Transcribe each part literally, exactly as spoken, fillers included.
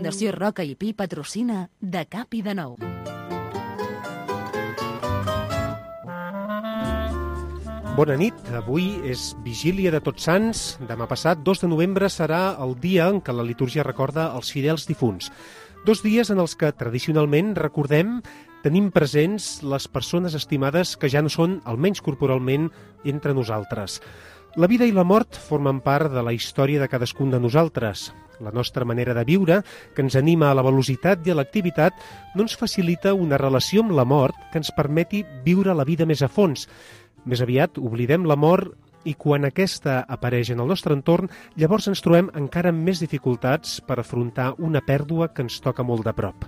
Fundació Roca i Pi patrocina De Cap i de Nou. Bona nit, avui és vigília de Tots Sants. Demà passat, dos de novembre, serà el dia en què la litúrgia recorda els fidels difunts. Dos dies en els que, tradicionalment, recordem, tenim presents les persones estimades que ja no són, almenys corporalment, entre nosaltres. La vida i la mort formen part de la història de cadascun de nosaltres. La nostra manera de viure, que ens anima a la velocitat i a l'activitat, no ens facilita una relació amb la mort que ens permeti viure la vida més a fons. Més aviat, oblidem la mort i quan aquesta apareix en el nostre entorn, llavors ens trobem encara amb més dificultats per afrontar una pèrdua que ens toca molt de prop.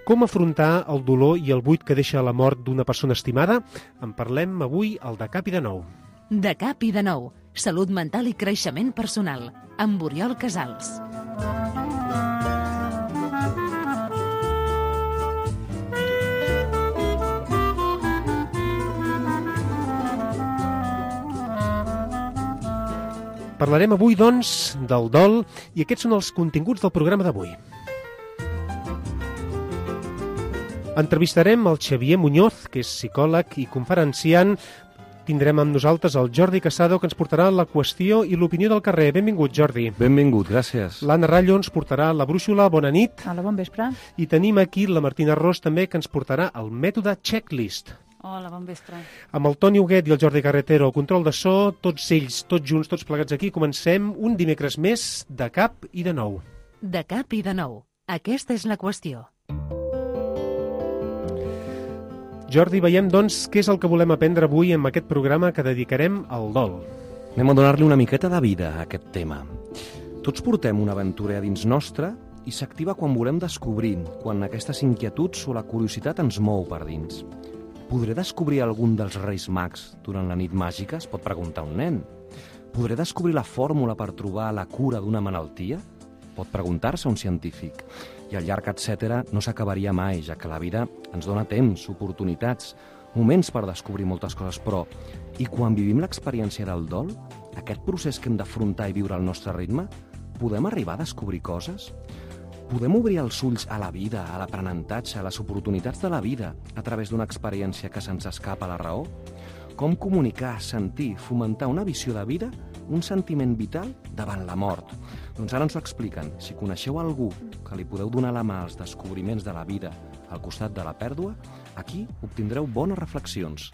Com afrontar el dolor i el buit que deixa la mort d'una persona estimada? En parlem avui al De Cap i de Nou. De Cap i de Nou, salut mental i creixement personal, amb Oriol Casals. Parlarem avui, doncs, del dol i aquests són els continguts del programa d'avui. Entrevistarem el Xavier Muñoz, que és psicòleg i conferenciant. Tindrem amb nosaltres el Jordi Casado, que ens portarà la qüestió i l'opinió del carrer. Benvingut, Jordi. Benvingut, gràcies. L'Anna Rallo ens portarà la brúixola. Bona nit. Hola, bon vespre. I tenim aquí la Martina Ros, també, que ens portarà el mètode checklist. Hola, bon vespre. Amb el Toni Huguet i el Jordi Carretero, el control de so, tots ells, tots junts, tots plegats aquí, comencem un dimecres més de Cap i de Nou. De Cap i de Nou. Aquesta és la qüestió. Jordi, veiem, doncs, què és el que volem aprendre avui en aquest programa que dedicarem al dol. Anem a donar-li una miqueta de vida a aquest tema. Tots portem una aventura a dins nostra i s'activa quan volem descobrir, quan aquestes inquietuds o la curiositat ens mou per dins. Podré descobrir algun dels Reis Mags durant la nit màgica? Es pot preguntar un nen. Podré descobrir la fórmula per trobar la cura d'una malaltia? Pot preguntar-se un científic. I el llarg etcètera no s'acabaria mai, ja que la vida ens dona temps, oportunitats, moments per descobrir moltes coses, però i quan vivim l'experiència del dol, aquest procés que hem d'afrontar i viure al nostre ritme, podem arribar a descobrir coses? Podem obrir els ulls a la vida, a l'aprenentatge, a les oportunitats de la vida a través d'una experiència que se'ns escapa a la raó? Com comunicar, sentir, fomentar una visió de vida, un sentiment vital davant la mort? Doncs ara ens ho expliquen. Si coneixeu algú que li podeu donar la mà als descobriments de la vida al costat de la pèrdua, aquí obtindreu bones reflexions.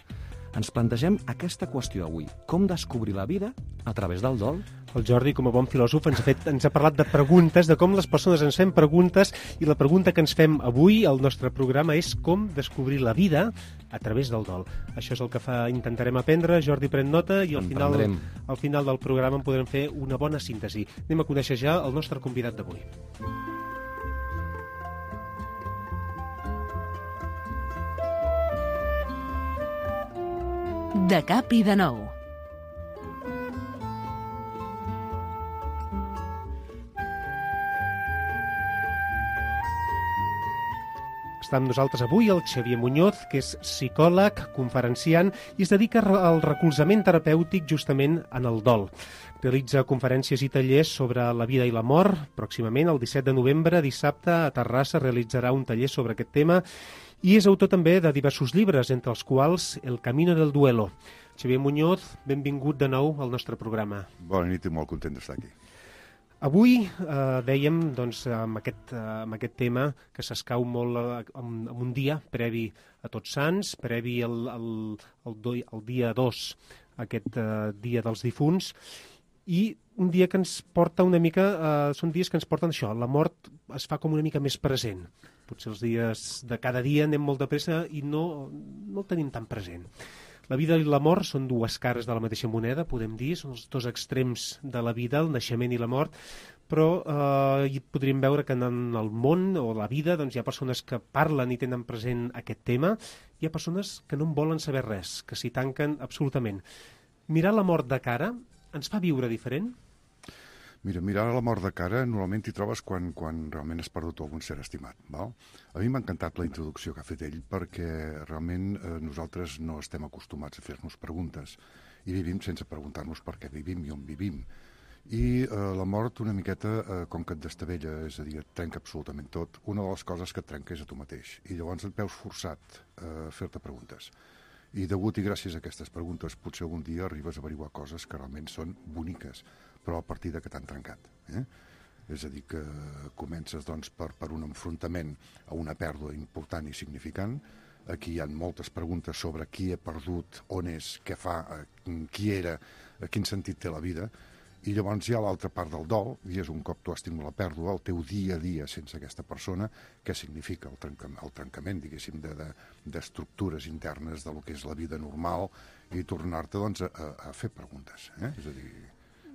Ens plantegem aquesta qüestió avui. Com descobrir la vida a través del dol? El Jordi, com a bon filòsof, ens ha, fet, ens ha parlat de preguntes, de com les persones ens fem preguntes, i la pregunta que ens fem avui al nostre programa és com descobrir la vida a través del dol. Això és el que fa, intentarem aprendre. Jordi, pren nota i al final, al final del programa en podrem fer una bona síntesi. Anem a conèixer ja el nostre convidat d'avui. De Cap i de Nou. Està amb nosaltres avui el Xavier Muñoz, que és psicòleg, conferenciant i es dedica al recolzament terapèutic justament en el dol. Realitza conferències i tallers sobre la vida i la mort. Pròximament, el disset de novembre, dissabte, a Terrassa, realitzarà un taller sobre aquest tema i és autor també de diversos llibres, entre els quals El camino del duelo. Xavier Muñoz, benvingut de nou al nostre programa. Bona nit i molt content d'estar aquí. Avui eh, dèiem, doncs, amb aquest, eh, amb aquest tema que s'escau molt eh, en, en un dia previ a Tots Sants, previ al, al, al, do, al dia dos, aquest eh, dia dels difunts, i un dia que ens porta una mica, eh, són dies que ens porten això, la mort es fa com una mica més present. Potser els dies de cada dia anem molt de pressa i no, no el tenim tan present. La vida i la mort són dues cares de la mateixa moneda, podem dir, són els dos extrems de la vida, el naixement i la mort, però eh, podríem veure que en el món o la vida doncs, hi ha persones que parlen i tenen present aquest tema, hi ha persones que no en volen saber res, que s'hi tanquen absolutament. Mirar la mort de cara ens fa viure diferent? Mira, mirar la mort de cara normalment t'hi trobes quan, quan realment has perdut algun ser estimat. Val? A mi m'ha encantat la introducció que ha fet ell perquè realment eh, nosaltres no estem acostumats a fer-nos preguntes i vivim sense preguntar-nos per què vivim i on vivim. I eh, la mort una miqueta, eh, com que et destavella, és a dir, et trenca absolutament tot, una de les coses que et trenca és a tu mateix. I llavors et veus forçat a fer-te preguntes. I degut i gràcies a aquestes preguntes potser algun dia arribes a averiguar coses que realment són boniques, però a partir de que t'han trencat. Eh? És a dir, que comences doncs, per, per un enfrontament a una pèrdua important i significant. Aquí hi ha moltes preguntes sobre qui he perdut, on és, què fa, qui era, quin sentit té la vida. I llavors hi ha l'altra part del dol, i és un cop tu has tingut la pèrdua, el teu dia a dia sense aquesta persona, què significa el, trenca, el trencament, diguéssim, d'estructures de, de, internes de lo que és la vida normal, i tornar-te doncs, a, a fer preguntes. Eh? És a dir...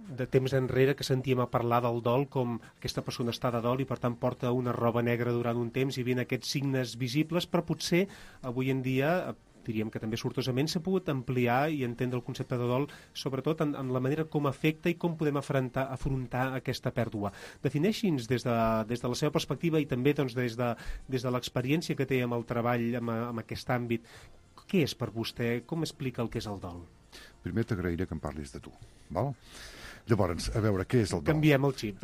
De temps enrere que sentíem a parlar del dol com aquesta persona està de dol i per tant porta una roba negra durant un temps i vienen aquests signes visibles, però potser avui en dia diríem que també sortosament s'ha pogut ampliar i entendre el concepte de dol, sobretot en, en la manera com afecta i com podem afrontar, afrontar aquesta pèrdua. Defineixi'ns des de, des de la seva perspectiva i també doncs, des de, des de l'experiència que té amb el treball, amb, amb aquest àmbit. Què és per vostè? Com explica el que és el dol? Primer t'agrairé que em parlis de tu, val? Llavors, a veure, què és el dol? Canviem el xip.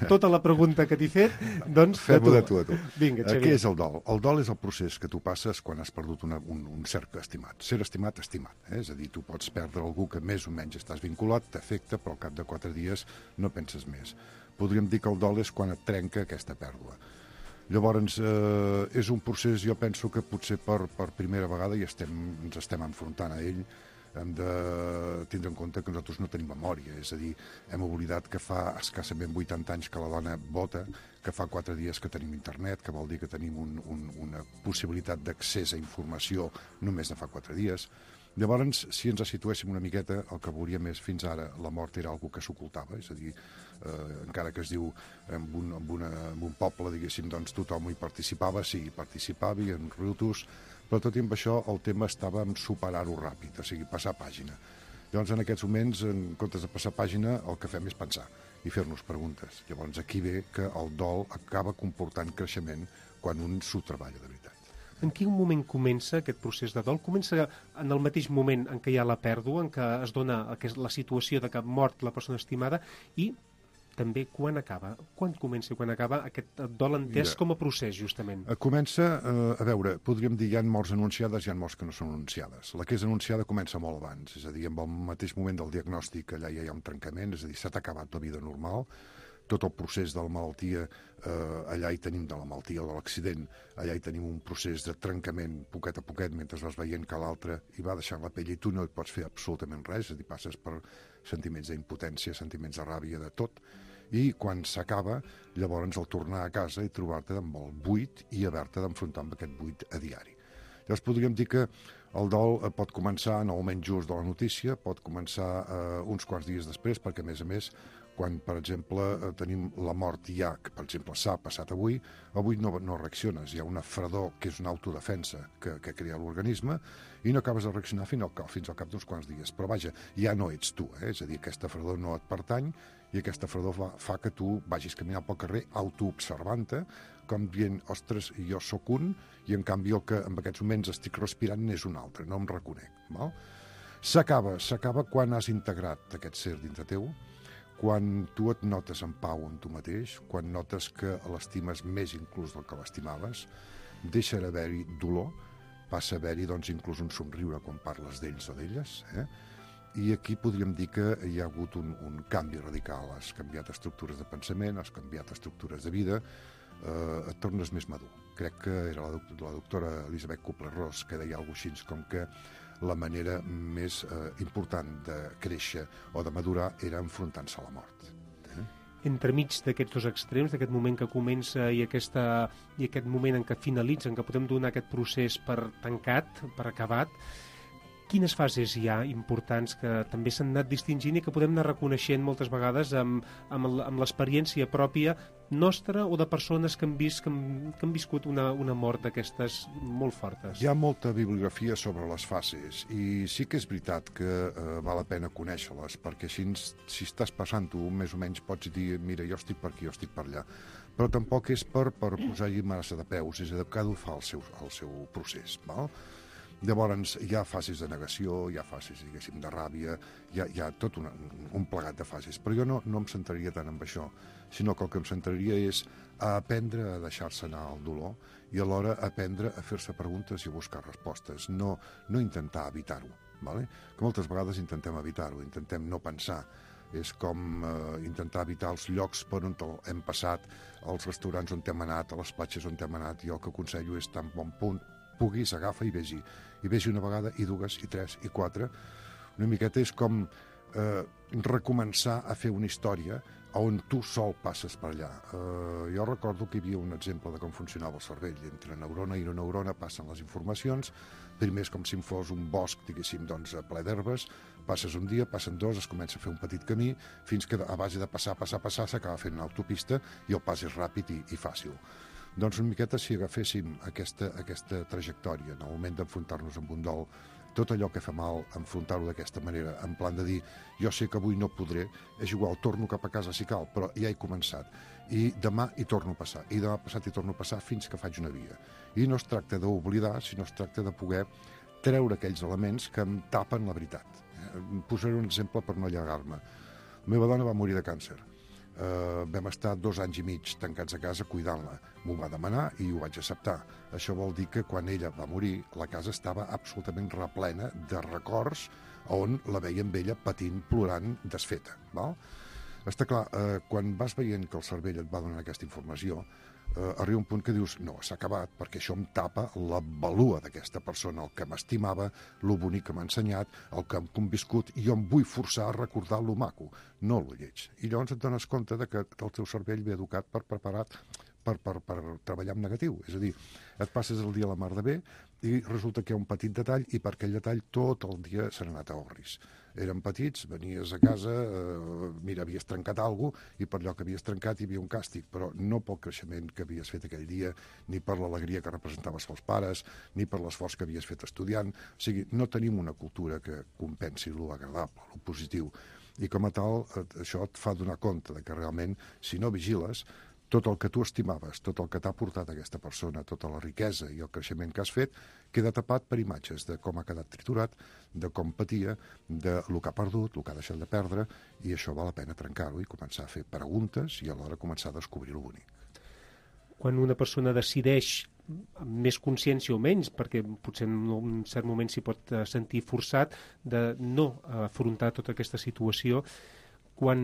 Tota la pregunta que t'he fet, doncs, fem-ho de tu a tu. Vinga, Xavier. Què és el dol? El dol és el procés que tu passes quan has perdut una, un, un cert estimat. Ser estimat, estimat. Eh? És a dir, tu pots perdre algú que més o menys estàs vinculat, t'afecta, però al cap de quatre dies no penses més. Podríem dir que el dol és quan et trenca aquesta pèrdua. Llavors, eh, és un procés, jo penso que potser per, per primera vegada i estem, ens estem enfrontant a ell. Hem de tindre en compte que nosaltres no tenim memòria, és a dir, hem oblidat que fa escassament vuitanta anys que la dona vota, que fa quatre dies que tenim internet, que vol dir que tenim un, un, una possibilitat d'accés a informació només de fa quatre dies. Llavors, si ens situéssim una miqueta, el que veuríem és fins ara la mort era algo que s'ocultava, és a dir, eh, encara que es diu en un, en, una, en un poble, diguéssim, doncs tothom hi participava, sí, hi participava, i en riutos, però tot i amb això el tema estava en superar-ho ràpid, o sigui, passar pàgina. Llavors, en aquests moments, en comptes de passar pàgina, el que fem és pensar i fer-nos preguntes. Llavors, aquí ve que el dol acaba comportant creixement quan un s'ho treballa de veritat. En quin moment comença aquest procés de dol? Comença en el mateix moment en què hi ha la pèrdua, en què es dona la situació de que ha mort la persona estimada, i també quan acaba? Quan comença i quan acaba aquest dol entès Mira, com a procés, justament? Comença, eh, a veure, podríem dir, hi ha morts anunciades, hi ha morts que no són anunciades. La que és anunciada comença molt abans, és a dir, en el mateix moment del diagnòstic allà ja hi ha un trencament, és a dir, s'ha acabat la vida normal, tot el procés de la malaltia, eh, allà hi tenim de la malaltia o de l'accident, allà hi tenim un procés de trencament poquet a poquet mentre vas veient que l'altre hi va deixant la pell i tu no hi pots fer absolutament res, és a dir, passes per sentiments d'impotència, sentiments de ràbia, de tot, i quan s'acaba, llavors el tornar a casa i trobar-te amb el buit i haver-te d'enfrontar amb aquest buit a diari. Llavors podríem dir que el dol pot començar en el moment just de la notícia, pot començar eh, uns quants dies després, perquè a més a més, quan, per exemple, eh, tenim la mort ja, que per exemple s'ha passat avui, avui no, no reacciones, hi ha una fredor que és una autodefensa que, que crea l'organisme i no acabes de reaccionar fins al, fins al cap d'uns quants dies. Però vaja, ja no ets tu, eh? És a dir, aquesta fredor no et pertany i aquesta fredor fa, fa que tu vagis caminant pel carrer autoobservant-te, com dient, ostres, jo sóc un, i en canvi el que en aquests moments estic respirant és un altre, no em reconec. Val? S'acaba, s'acaba quan has integrat aquest ser dintre teu, quan tu et notes en pau amb tu mateix, quan notes que l'estimes més inclús del que l'estimaves, deixa d'haver-hi dolor, passa a haver-hi doncs, inclús un somriure quan parles d'ells o d'elles, eh? I aquí podríem dir que hi ha hagut un, un canvi radical, has canviat estructures de pensament, has canviat estructures de vida, eh, et tornes més madur. Crec que era la, doctora, la doctora Elisabeth Kubler-Ross que deia alguna cosa així com que la manera més eh, important de créixer o de madurar era enfrontant-se a la mort. Eh? Entremig d'aquests dos extrems, d'aquest moment que comença i, aquesta, i aquest moment en què finalitza, en què podem donar aquest procés per tancat, per acabat, quines fases hi ha importants que també s'han anat distingint i que podem anar reconeixent moltes vegades amb, amb, amb l'experiència pròpia nostra o de persones que han, vist, que han, que han viscut una, una mort d'aquestes molt fortes? Hi ha molta bibliografia sobre les fases i sí que és veritat que eh, val la pena conèixer-les, perquè així, si estàs passant-ho, més o menys pots dir, mira, jo estic per aquí, jo estic per allà. Però tampoc és per, per posar-hi massa de peus, és a dir, cada un fa el seu, el seu procés, val? Llavors hi ha fases de negació, hi ha fases, diguéssim, de ràbia, hi ha, hi ha tot una, un plegat de fases. Però jo no, no em centraria tant en això, sinó que el que em centraria és a aprendre a deixar-se anar al dolor i alhora aprendre a fer-se preguntes i a buscar respostes, no, no intentar evitar-ho, ¿vale? Que moltes vegades intentem evitar-ho, intentem no pensar. És com eh, intentar evitar els llocs per on hem passat, els restaurants on hem anat, a les platges on hem anat. Jo el que aconsello és tan bon punt puguis, agafa i vés-hi. I vés-hi una vegada, i dues, i tres, i quatre. Una miqueta és com eh, recomençar a fer una història on tu sol passes per allà. Eh, jo recordo que hi havia un exemple de com funcionava el cervell. Entre neurona i neurona passen les informacions. Primer és com si fos un bosc, diguéssim, doncs, ple d'herbes. Passes un dia, passen dos, es comença a fer un petit camí, fins que a base de passar, passar, passar, s'acaba fent una autopista i el pas és ràpid i, i fàcil. Doncs una miqueta si agaféssim aquesta, aquesta trajectòria en el moment d'enfrontar-nos amb un dol, tot allò que fa mal, enfrontar-ho d'aquesta manera, en plan de dir, jo sé que avui no podré, és igual, torno cap a casa si cal, però ja he començat. I demà hi torno a passar, i demà passat hi torno a passar fins que faig una via. I no es tracta d'oblidar, sinó es tracta de poder treure aquells elements que em tapen la veritat. Posaré un exemple per no allargar-me. La meva dona va morir de càncer. Uh, vam estar dos anys i mig tancats a casa cuidant-la. M'ho va demanar i ho vaig acceptar. Això vol dir que quan ella va morir la casa estava absolutament replena de records on la veiem ella patint, plorant, desfeta. Val? Està clar, uh, quan vas veient que el cervell et va donar aquesta informació, uh, arriba un punt que dius, no, s'ha acabat, perquè això em tapa la valua d'aquesta persona, el que m'estimava, el bonic que m'ha ensenyat, el que hem conviscut, i jo em vull forçar a recordar lo maco, no lo lleig. I llavors et dones compte de que el teu cervell ve educat per preparat per, per, per treballar amb negatiu. És a dir, et passes el dia a la mar de bé i resulta que hi ha un petit detall i per aquell detall tot el dia s'ha anat a orris. Érem petits, venies a casa, eh, mira, havies trencat alguna cosa i per allò que havies trencat hi havia un càstig, però no pel creixement que havies fet aquell dia, ni per l'alegria que representaves pels pares, ni per l'esforç que havies fet estudiant. O sigui, no tenim una cultura que compensi lo agradable, lo positiu. I com a tal, això et fa donar compte de que realment, si no vigiles, tot el que tu estimaves, tot el que t'ha portat aquesta persona, tota la riquesa i el creixement que has fet, queda tapat per imatges de com ha quedat triturat, de com patia, de lo que ha perdut, el que ha deixat de perdre, i això val la pena trencar-ho i començar a fer preguntes i alhora començar a descobrir lo bonic. Quan una persona decideix amb més consciència o menys, perquè potser en un cert moment s'hi pot sentir forçat de no afrontar tota aquesta situació, quan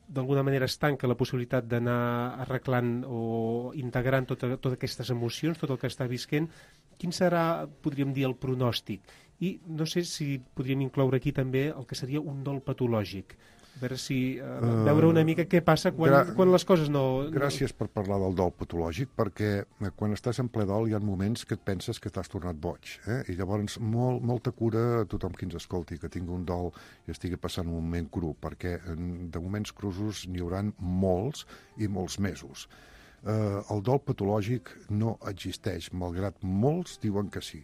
d'alguna manera es tanca la possibilitat d'anar arreglant o integrant tota, totes aquestes emocions, tot el que està visquent, quin serà, podríem dir, el pronòstic? I no sé si podríem incloure aquí també el que seria un dol patològic. A veure si... Uh, veure una mica què passa quan, Gra quan les coses no... Gràcies per parlar del dol patològic, perquè quan estàs en ple dol hi ha moments que et penses que t'has tornat boig. Eh? I llavors molt, molta cura a tothom qui ens escolti, que tingui un dol i estigui passant un moment cru, perquè de moments crusos n'hi hauran molts i molts mesos. Eh, el dol patològic no existeix, malgrat molts diuen que sí.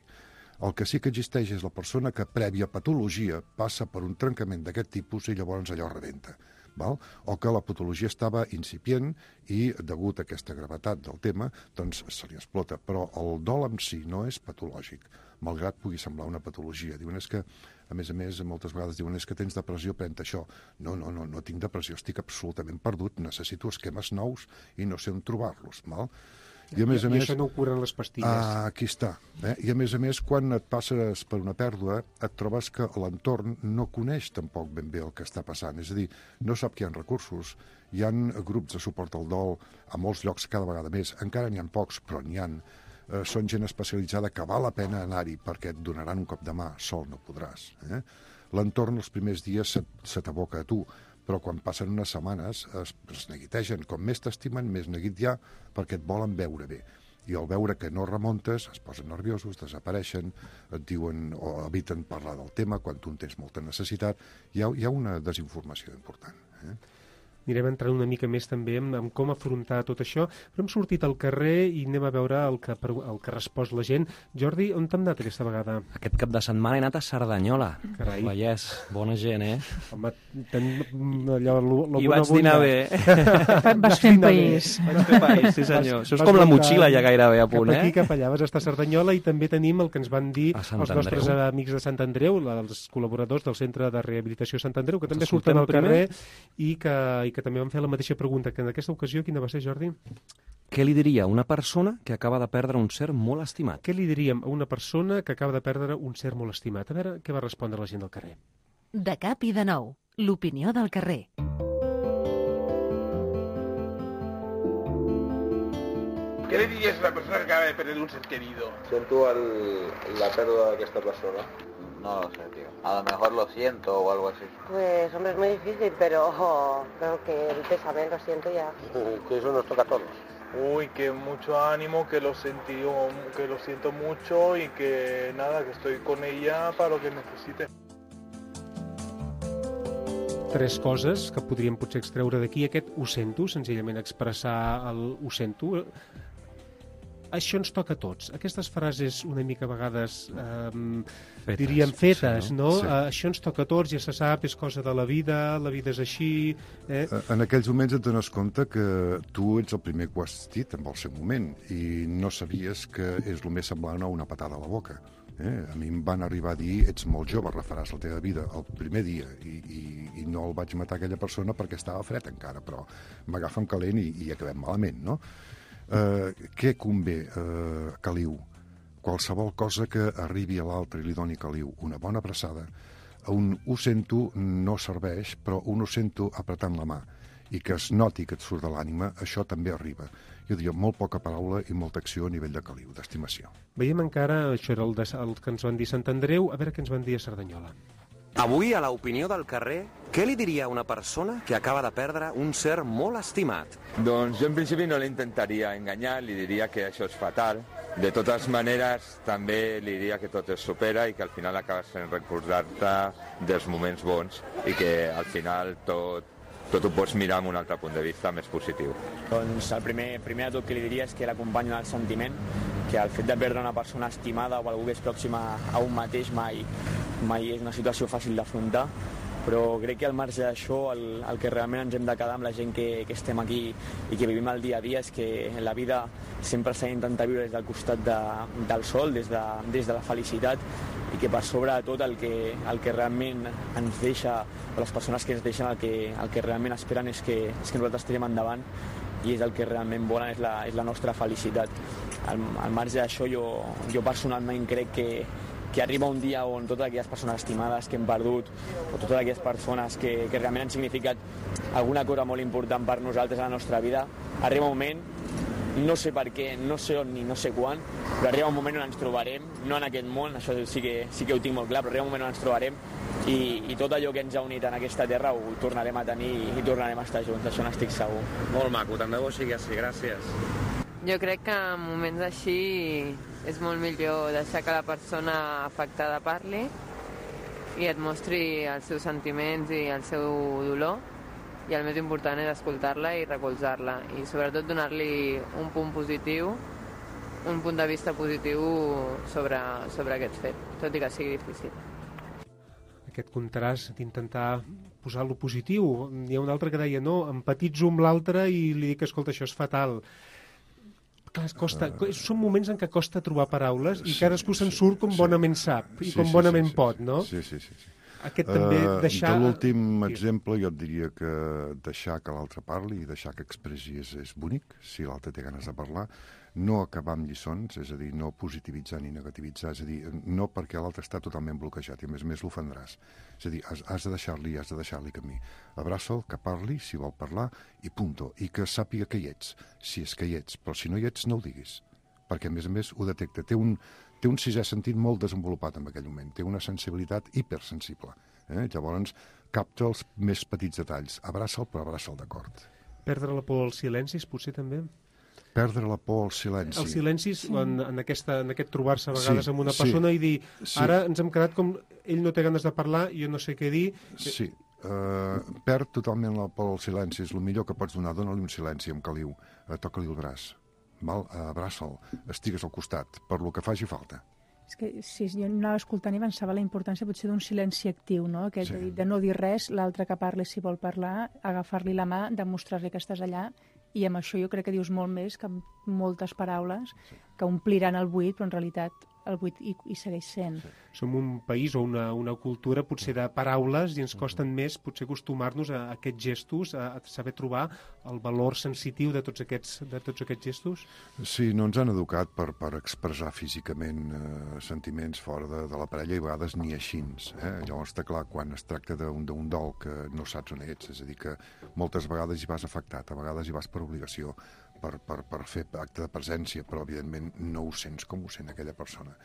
El que sí que existeix és la persona que, prèvia patologia, passa per un trencament d'aquest tipus i llavors allò rebenta. Val? O que la patologia estava incipient i, degut a aquesta gravetat del tema, doncs se li explota. Però el dol en si no és patològic, malgrat pugui semblar una patologia. Diuen és que, a més a més, moltes vegades diuen és que tens depressió, pren això. No, no, no, no tinc depressió, estic absolutament perdut, necessito esquemes nous i no sé on trobar-los. Val? I, a més a I més, això no ho curen les pastilles. Ah, aquí està. Eh? I a més a més, quan et passes per una pèrdua, et trobes que l'entorn no coneix tampoc ben bé el que està passant. És a dir, no sap que hi ha recursos, hi ha grups de suport al dol a molts llocs cada vegada més. Encara n'hi ha pocs, però n'hi ha. Eh, són gent especialitzada que val la pena anar-hi perquè et donaran un cop de mà. Sol no podràs. Eh? L'entorn els primers dies se, se t'aboca a tu, però quan passen unes setmanes es, es neguitegen. Com més t'estimen, més neguit hi ha, perquè et volen veure bé. I al veure que no remuntes, es posen nerviosos, desapareixen, et diuen o eviten parlar del tema quan tu en tens molta necessitat. Hi ha, hi ha una desinformació important. Eh? Anirem entrant una mica més també en, en com afrontar tot això, però hem sortit al carrer i anem a veure el que, el que respòs la gent. Jordi, on t'hem anat aquesta vegada? Aquest cap de setmana he anat a Cerdanyola. Carai. Vallès, bona gent, eh? Home, ten allò... Lo, lo I vaig dinar bé. Vas fent país. Vaig fer país, sí senyor. Això és com la motxilla ja gairebé a punt, eh? Cap aquí, cap allà, vas estar a Cerdanyola i també tenim el que ens van dir els nostres amics de Sant Andreu, els col·laboradors del Centre de Rehabilitació Sant Andreu, que també surten al carrer i que, i que també van fer la mateixa pregunta, que en aquesta ocasió, quina va ser, Jordi? Què li diria a una persona que acaba de perdre un ser molt estimat? Què li diríem a una persona que acaba de perdre un ser molt estimat? A veure què va respondre la gent del carrer. De cap i de nou, l'opinió del carrer. ¿Qué le dirías a una persona que acaba de perder un ser querido? Siento el, la pérdida de esta persona. No lo sé, tío. A lo mejor lo siento o algo así. Pues, hombre, es muy difícil, pero oh, creo que el pésame lo siento ya. Que eso nos toca a todos. Uy, que mucho ánimo, que lo sentí, que lo siento mucho y que nada, que estoy con ella para lo que necesite. Tres coses que podríem potser extreure d'aquí. Aquest ho sento, senzillament expressar el ho sento. Això ens toca a tots. Aquestes frases una mica a vegades eh, fetes, diríem fetes, sí, no? no? Sí. Uh, això ens toca a tots, ja se sap, és cosa de la vida, la vida és així... Eh? En aquells moments et dones compte que tu ets el primer que ho has dit en el seu moment i no sabies que és el més semblant a una patada a la boca. Eh? A mi em van arribar a dir, ets molt jove, refaràs la teva vida el primer dia i, i, i no el vaig matar aquella persona perquè estava fred encara, però m'agafen calent i, i acabem malament, no? Uh, què convé, uh, caliu? Qualsevol cosa que arribi a l'altre i li doni caliu, una bona abraçada, un ho sento no serveix, però un ho sento apretant la mà i que es noti que et surt de l'ànima, això també arriba. Jo diria molt poca paraula i molta acció a nivell de caliu, d'estimació. Veiem encara, això era el, de, el que ens van dir Sant Andreu, a veure què ens van dir a Cerdanyola. Avui, a l'opinió del carrer, què li diria a una persona que acaba de perdre un ser molt estimat? Doncs jo en principi no l'intentaria enganyar, li diria que això és fatal. De totes maneres, també li diria que tot es supera i que al final acabes fent recordar-te dels moments bons i que al final tot, tot ho pots mirar amb un altre punt de vista més positiu. Doncs el primer, primer de tot que li diria és que l'acompanyo en el sentiment, que el fet de perdre una persona estimada o algú que és pròxima a un mateix mai, mai és una situació fàcil d'afrontar, però crec que al marge d'això el, el que realment ens hem de quedar amb la gent que, que estem aquí i que vivim el dia a dia és que en la vida sempre s'ha d'intentar viure des del costat de, del sol, des de, des de la felicitat, i que per sobre de tot el que, el que realment ens deixa, o les persones que ens deixen el que, el que realment esperen és que, és que nosaltres tirem endavant i és el que realment volen, és la, és la nostra felicitat. Al, al marge d'això jo, jo personalment crec que que arriba un dia on totes aquelles persones estimades que hem perdut o totes aquelles persones que, que realment han significat alguna cosa molt important per nosaltres a la nostra vida, arriba un moment, no sé per què, no sé on ni no sé quan, però arriba un moment on ens trobarem, no en aquest món, això sí que, sí que ho tinc molt clar, però arriba un moment on ens trobarem i, i tot allò que ens ha unit en aquesta terra ho tornarem a tenir i tornarem a estar junts, això n'estic segur. Molt maco, també ho sigui així, gràcies. Jo crec que en moments així és molt millor deixar que la persona afectada parli i et mostri els seus sentiments i el seu dolor, i el més important és escoltar-la i recolzar-la i sobretot donar-li un punt positiu, un punt de vista positiu sobre, sobre aquest fet, tot i que sigui difícil. Aquest contrast d'intentar posar lo positiu. Hi ha un altre que deia, no, empatitzo amb l'altre i li dic, escolta, això és fatal. Clar, costa, uh, són moments en què costa trobar paraules i sí, cadascú se'n sí, surt com sí, bonament sap i sí, com bonament sí, sí, pot, no? Sí, sí, sí. sí. Aquest també deixar... De l'últim exemple jo et diria que deixar que l'altre parli i deixar que expressi és, és bonic, si l'altre té ganes de parlar, no acabar amb lliçons, és a dir, no positivitzar ni negativitzar, és a dir, no perquè l'altre està totalment bloquejat i a més a més l'ofendràs. És a dir, has, has de deixar-li, has de deixar-li camí. Abraça'l, que parli, si vol parlar, i punto. I que sàpiga que hi ets, si és que hi ets, però si no hi ets no ho diguis, perquè a més a més ho detecta. Té un, té un sisè sentit molt desenvolupat en aquell moment, té una sensibilitat hipersensible. Eh? Llavors capta els més petits detalls. Abraça'l, però abraça'l d'acord. Perdre la por als silencis, potser també? Perdre la por al silenci. Els silencis, sí. en, en, aquesta, en aquest trobar-se a vegades sí, amb una persona sí, i dir, sí. ara ens hem quedat com ell no té ganes de parlar, jo no sé què dir. Sí, eh, perd totalment la por al silenci, és el millor que pots donar, dona-li un silenci amb caliu, eh, toca-li el braç, val? Abraça'l, estigues al costat, per lo que faci falta. És que si jo anava escoltant i pensava la importància potser d'un silenci actiu, no? Aquest sí. de, de no dir res, l'altre que parli si vol parlar, agafar-li la mà, demostrar-li que estàs allà, i amb això jo crec que dius molt més que amb moltes paraules sí. que ompliran el buit, però en realitat el buit hi, hi segueix sent. Sí. Som un país o una, una cultura potser de paraules i ens costen més potser acostumar-nos a, a aquests gestos, a, a saber trobar el valor sensitiu de tots aquests, de tots aquests gestos? Sí, no ens han educat per, per expressar físicament eh, sentiments fora de, de la parella i a vegades ni així. Eh? Llavors està clar, quan es tracta d'un dol que no saps on ets, és a dir, que moltes vegades hi vas afectat, a vegades hi vas per obligació, per, per, per fer acte de presència, però evidentment no ho sents com ho sent aquella persona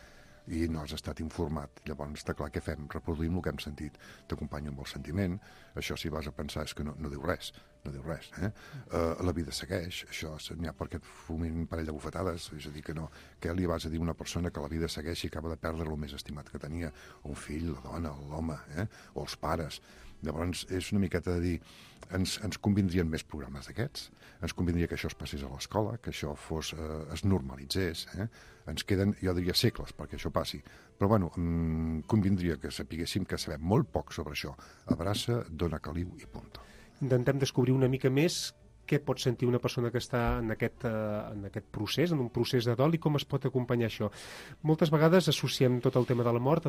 i no has estat informat. Llavors està clar què fem, reproduïm el que hem sentit, t'acompanyo amb el sentiment, això si vas a pensar és que no, no diu res, no diu res, eh? Uh, la vida segueix, això n'hi ha perquè et fumin un parell de bufetades, és a dir que no, què li vas a dir a una persona que la vida segueix i acaba de perdre el més estimat que tenia, un fill, la dona, l'home, eh? O els pares. Llavors és una miqueta de dir, ens, ens convindrien més programes d'aquests, ens convindria que això es passés a l'escola, que això fos, eh, es normalitzés, eh? Ens queden, jo diria, segles perquè això passi, però bueno, mm, convindria que sapiguéssim que sabem molt poc sobre això. Abraça, dona caliu i punt. Intentem descobrir una mica més què pot sentir una persona que està en aquest, uh, en aquest procés, en un procés de dol, i com es pot acompanyar això. Moltes vegades associem tot el tema de la mort,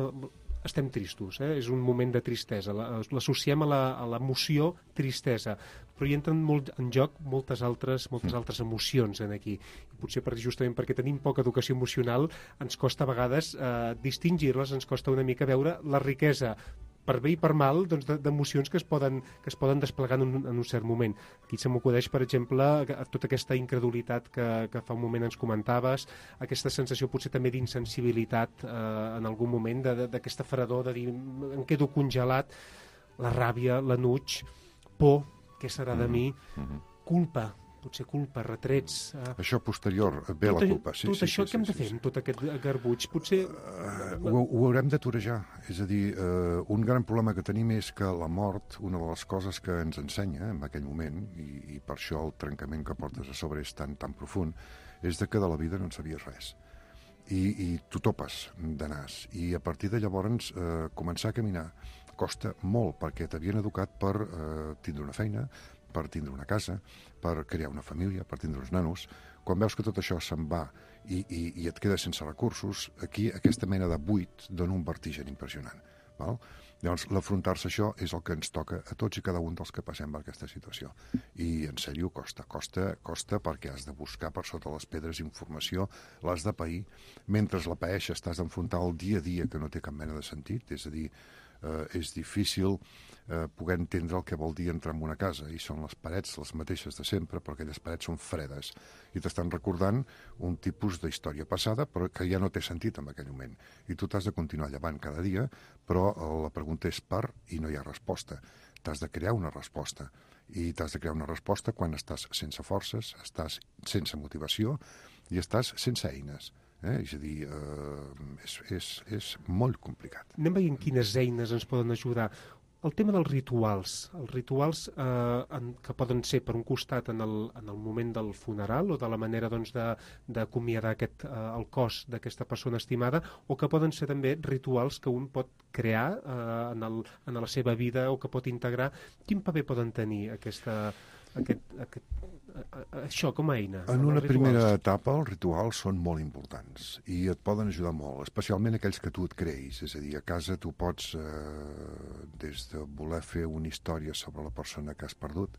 estem tristos, eh? És un moment de tristesa, l'associem a l'emoció tristesa, però hi entren molt en joc moltes altres, moltes altres emocions en aquí. I potser per, justament perquè tenim poca educació emocional ens costa a vegades eh, distingir-les, ens costa una mica veure la riquesa per bé i per mal, doncs, d'emocions que es poden, que es poden desplegar en un, en un cert moment. Aquí se m'acudeix, per exemple, tota aquesta incredulitat que, que fa un moment ens comentaves, aquesta sensació potser també d'insensibilitat eh, en algun moment, d'aquesta fredor, de dir, em quedo congelat, la ràbia, l'enuig, por, què serà de mi, mm-hmm. culpa, potser culpa, retrets... Eh... Això posterior, ve tot, la culpa. Sí, tot sí, això sí, que hem sí, de fer sí, amb tot aquest garbuig? Potser... Uh, ho, ho haurem de torejar. És a dir, uh, un gran problema que tenim és que la mort, una de les coses que ens ensenya en aquell moment, i, i per això el trencament que portes a sobre és tan, tan profund, és de que de la vida no en sabies res. I, i t'ho topes de nas. I a partir de llavors uh, començar a caminar costa molt, perquè t'havien educat per uh, tindre una feina, per tindre una casa, per crear una família, per tindre uns nanos. Quan veus que tot això se'n va i, i, i et quedes sense recursos, aquí aquesta mena de buit dona un vertigen impressionant. Val? Llavors, l'afrontar-se això és el que ens toca a tots i cada un dels que passem per aquesta situació. I, en sèrio, costa. Costa, costa perquè has de buscar per sota les pedres informació, l'has de pair. Mentre la paeixes, t'has d'enfrontar el dia a dia que no té cap mena de sentit, és a dir, eh, és difícil eh, poder entendre el que vol dir entrar en una casa, i són les parets les mateixes de sempre, però aquelles parets són fredes, i t'estan recordant un tipus d'història passada, però que ja no té sentit en aquell moment. I tu t'has de continuar llevant cada dia, però la pregunta és per, i no hi ha resposta. T'has de crear una resposta, i t'has de crear una resposta quan estàs sense forces, estàs sense motivació i estàs sense eines. Eh? És a dir, eh, és, és, és molt complicat. Anem veient quines eines ens poden ajudar. El tema dels rituals, els rituals eh, en, que poden ser per un costat en el, en el moment del funeral o de la manera doncs, d'acomiadar eh, el cos d'aquesta persona estimada, o que poden ser també rituals que un pot crear eh, en, el, en la seva vida o que pot integrar. Quin paper poden tenir aquesta... Aquest, aquest, això com a eina? En una primera etapa els rituals són molt importants i et poden ajudar molt, especialment aquells que tu et creïs. És a dir, a casa tu pots, eh, des de voler fer una història sobre la persona que has perdut,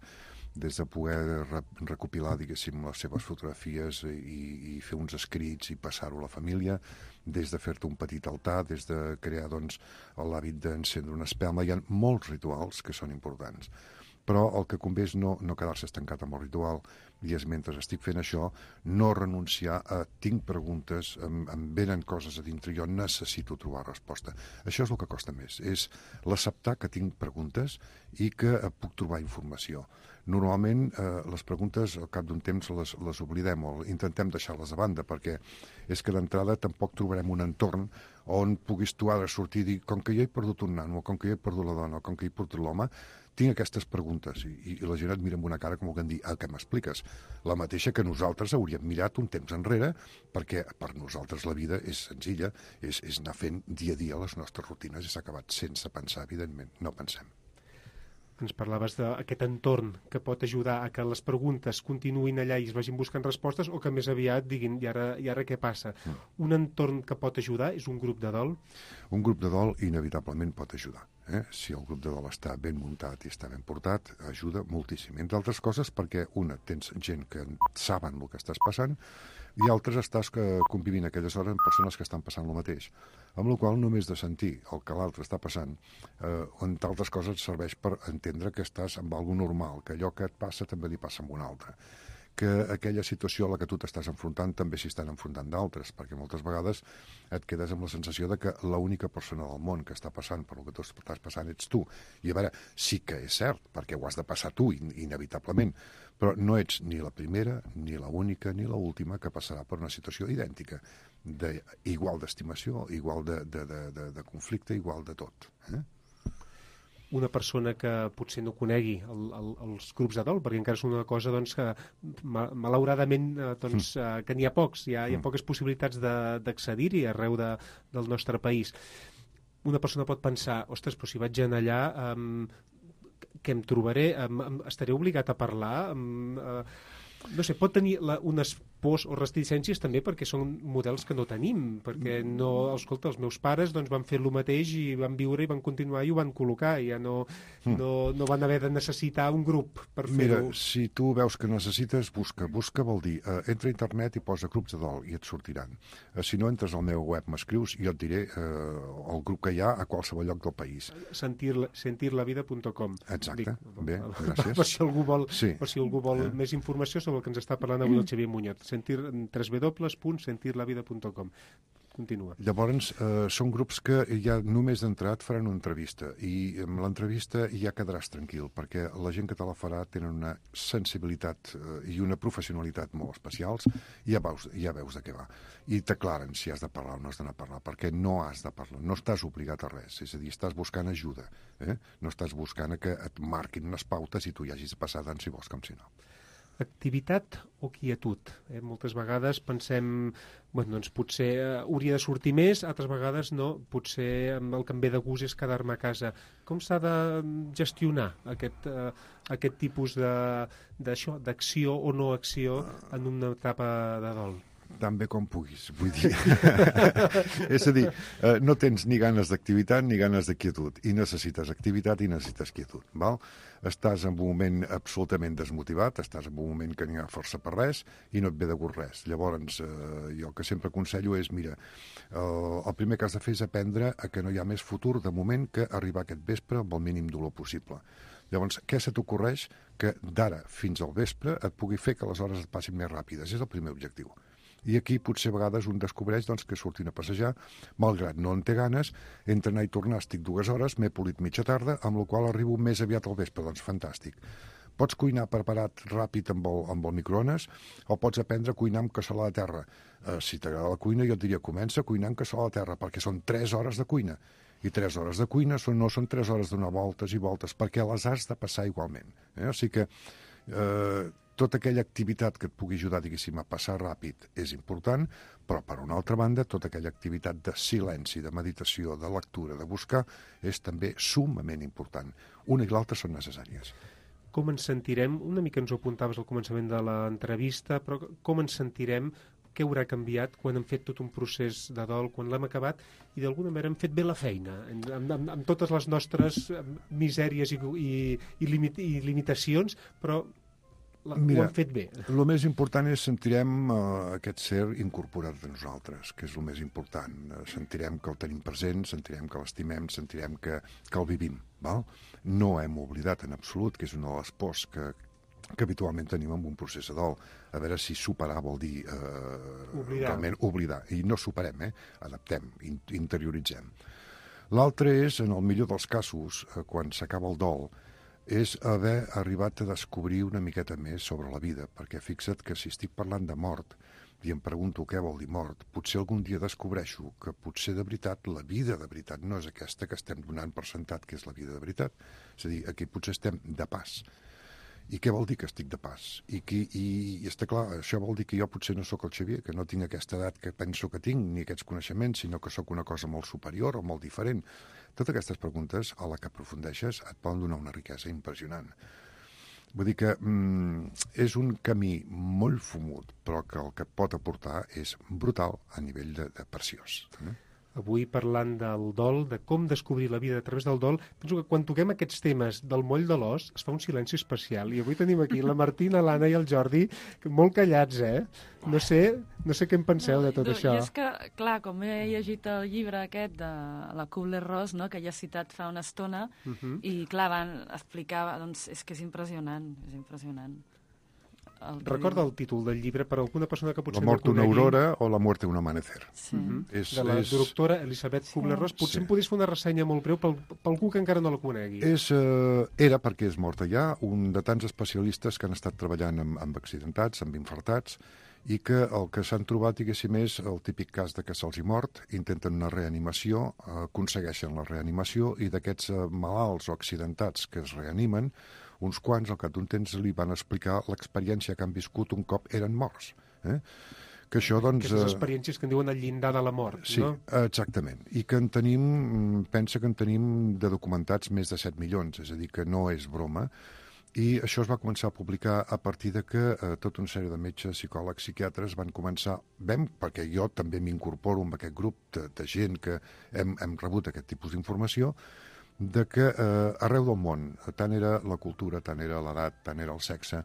des de poder re recopilar, diguéssim, les seves fotografies i, i fer uns escrits i passar-ho a la família, des de fer-te un petit altar, des de crear doncs, l'hàbit d'encendre una espelma. Hi ha molts rituals que són importants. Però el que convé és no, no quedar-se estancat amb el ritual, i és mentre estic fent això, no renunciar a tinc preguntes, em, em venen coses a dintre, jo necessito trobar resposta. Això és el que costa més, és l'acceptar que tinc preguntes i que puc trobar informació. Normalment eh, les preguntes al cap d'un temps les, les oblidem o intentem deixar-les a banda, perquè és que d'entrada tampoc trobarem un entorn on puguis tu ara sortir i dir com que jo he perdut un nano, com que jo he perdut la dona, com que he perdut l'home, tinc aquestes preguntes i, i la gent et mira amb una cara com que dir, ah, què m'expliques? La mateixa que nosaltres hauríem mirat un temps enrere, perquè per nosaltres la vida és senzilla, és, és anar fent dia a dia les nostres rutines i s'ha acabat sense pensar, evidentment, no pensem. Ens parlaves d'aquest entorn que pot ajudar a que les preguntes continuïn allà i es vagin buscant respostes o que més aviat diguin, i ara, i ara què passa? Mm. Un entorn que pot ajudar és un grup de dol? Un grup de dol inevitablement pot ajudar. Eh? Si el grup de dol està ben muntat i està ben portat, ajuda moltíssim. Entre altres coses perquè, una, tens gent que saben el que estàs passant i altres estàs convivint aquelles hores amb persones que estan passant el mateix. Amb la qual només de sentir el que l'altre està passant, eh, entre altres coses serveix per entendre que estàs amb alguna normal, que allò que et passa també li passa a un altre, que aquella situació a la que tu t'estàs enfrontant també s'hi estan enfrontant d'altres, perquè moltes vegades et quedes amb la sensació de que l'única persona del món que està passant per el que tu estàs passant ets tu. I a veure, sí que és cert, perquè ho has de passar tu, inevitablement, però no ets ni la primera, ni la única, ni la última que passarà per una situació idèntica, de, igual d'estimació, igual de, de, de, de, de conflicte, igual de tot. Eh? Una persona que potser no conegui el, el, els grups de dol, perquè encara és una cosa doncs, que malauradament doncs, mm. que n'hi ha pocs, hi ha, hi ha poques possibilitats d'accedir-hi arreu de, del nostre país. Una persona pot pensar, ostres, però si vaig anar allà, um, què em trobaré? Um, estaré obligat a parlar? Um, uh, no sé, pot tenir la, unes pors o reticències també perquè són models que no tenim, perquè no, escolta, els meus pares doncs, van fer el mateix i van viure i van continuar i ho van col·locar, i ja no, mm. no, no van haver de necessitar un grup per fer-ho. Mira, si tu veus que necessites, busca. Busca vol dir, eh, entra a internet i posa grups de dol i et sortiran. Eh, si no, entres al meu web, m'escrius i jo et diré eh, el grup que hi ha a qualsevol lloc del país. Sentir, sentirlavida punt com. Exacte, Dic, bé, gràcies. Per si algú vol, sí. per si algú vol eh? més informació sobre el que ens està parlant avui el Xavier Muñoz. Sentir, w w w punt sentirlavida punt com. Continua. Llavors, eh, són grups que ja només d'entrat faran una entrevista i amb l'entrevista ja quedaràs tranquil, perquè la gent que te la farà tenen una sensibilitat eh, i una professionalitat molt especials i ja veus, ja veus de què va. I t'aclaren si has de parlar o no has d'anar a parlar, perquè no has de parlar, no estàs obligat a res, és a dir, estàs buscant ajuda, eh? No estàs buscant que et marquin unes pautes i tu hi hagis de passar tant si vols com si no. Activitat o quietud? Eh? Moltes vegades pensem, bueno, doncs potser eh, hauria de sortir més, altres vegades no, potser el que em ve de gust és quedar-me a casa. Com s'ha de gestionar aquest, eh, aquest tipus d'acció o no acció en una etapa de dol? Tan bé com puguis, vull dir. És a dir, eh, no tens ni ganes d'activitat ni ganes de quietud, i necessites activitat i necessites quietud, val? Estàs en un moment absolutament desmotivat, estàs en un moment que n'hi ha força per res i no et ve de gust res. Llavors, eh, jo el que sempre aconsello és, mira, eh, el primer que has de fer és aprendre a que no hi ha més futur de moment que arribar aquest vespre amb el mínim dolor possible. Llavors, què se t'ocorreix que d'ara fins al vespre et pugui fer que les hores et passin més ràpides? És el primer objectiu. I aquí potser a vegades un descobreix doncs, que sortint a passejar, malgrat no en té ganes, entre anar i tornar estic dues hores, m'he polit mitja tarda, amb la qual arribo més aviat al vespre, doncs fantàstic. Pots cuinar preparat ràpid amb el, amb el microones o pots aprendre a cuinar amb cassola de terra. Eh, si t'agrada la cuina, jo et diria, comença a cuinar amb cassola de terra, perquè són tres hores de cuina. I tres hores de cuina són, no són tres hores de donar voltes i voltes, perquè les has de passar igualment. Eh? O sigui que eh, tota aquella activitat que et pugui ajudar, diguéssim, a passar ràpid és important, però, per una altra banda, tota aquella activitat de silenci, de meditació, de lectura, de buscar, és també summament important. Una i l'altra són necessàries. Com ens sentirem? Una mica ens ho apuntaves al començament de l'entrevista, però com ens sentirem? Què haurà canviat quan hem fet tot un procés de dol, quan l'hem acabat i d'alguna manera hem fet bé la feina, amb, amb, amb totes les nostres misèries i, i, i, limit, i limitacions, però la, Mira, ho hem fet bé. El més important és sentirem uh, aquest ser incorporat de nosaltres, que és el més important. Uh, sentirem que el tenim present, sentirem que l'estimem, sentirem que, que el vivim. Val? No hem oblidat en absolut, que és una de les pors que que habitualment tenim en un procés de dol. A veure si superar vol dir eh, oblidar. realment oblidar. I no superem, eh? Adaptem, in interioritzem. L'altre és, en el millor dels casos, eh, quan s'acaba el dol, és haver arribat a descobrir una miqueta més sobre la vida, perquè fixa't que si estic parlant de mort i em pregunto què vol dir mort, potser algun dia descobreixo que potser de veritat la vida de veritat no és aquesta que estem donant per sentat que és la vida de veritat. És a dir, aquí potser estem de pas. I què vol dir que estic de pas? I, qui, i, i està clar, això vol dir que jo potser no sóc el Xavier, que no tinc aquesta edat que penso que tinc, ni aquests coneixements, sinó que sóc una cosa molt superior o molt diferent. Totes aquestes preguntes, a la que aprofundeixes, et poden donar una riquesa impressionant. Vull dir que mm, és un camí molt fumut, però que el que et pot aportar és brutal a nivell de, de preciós. Eh? Avui parlant del dol, de com descobrir la vida a través del dol, penso que quan toquem aquests temes del moll de l'os es fa un silenci especial. I avui tenim aquí la Martina, l'Anna i el Jordi molt callats, eh? No sé, no sé què en penseu no, de tot no, això. I és que, clar, com he llegit el llibre aquest de la Kubler-Ross, no?, que ja he citat fa una estona, uh -huh. i clar, van explicar, doncs és que és impressionant, és impressionant. El Recorda el títol del llibre per a alguna persona que potser La mort no una conegui. aurora o la muerte un amanecer. Sí. Uh-huh. és, de la és... doctora Elisabeth Kubler-Ross. Potser sí. em podries fer una ressenya molt breu per, per algú que encara no la conegui. És, eh, era, perquè és morta ja, un de tants especialistes que han estat treballant amb, amb accidentats, amb infartats, i que el que s'han trobat, diguéssim, és el típic cas de que se'ls hi mort, intenten una reanimació, eh, aconsegueixen la reanimació, i d'aquests eh, malalts o accidentats que es reanimen, uns quants, al cap d'un temps, li van explicar l'experiència que han viscut un cop eren morts. Eh? Que això, doncs... Aquestes experiències que en diuen el llindar de la mort, sí, no? Sí, exactament. I que en tenim, pensa que en tenim de documentats més de set milions, és a dir, que no és broma. I això es va començar a publicar a partir de que eh, tota una sèrie de metges, psicòlegs, psiquiatres van començar, vam, perquè jo també m'incorporo en aquest grup de, de gent que hem, hem rebut aquest tipus d'informació, de que eh, arreu del món, tant era la cultura, tant era l'edat, tant era el sexe,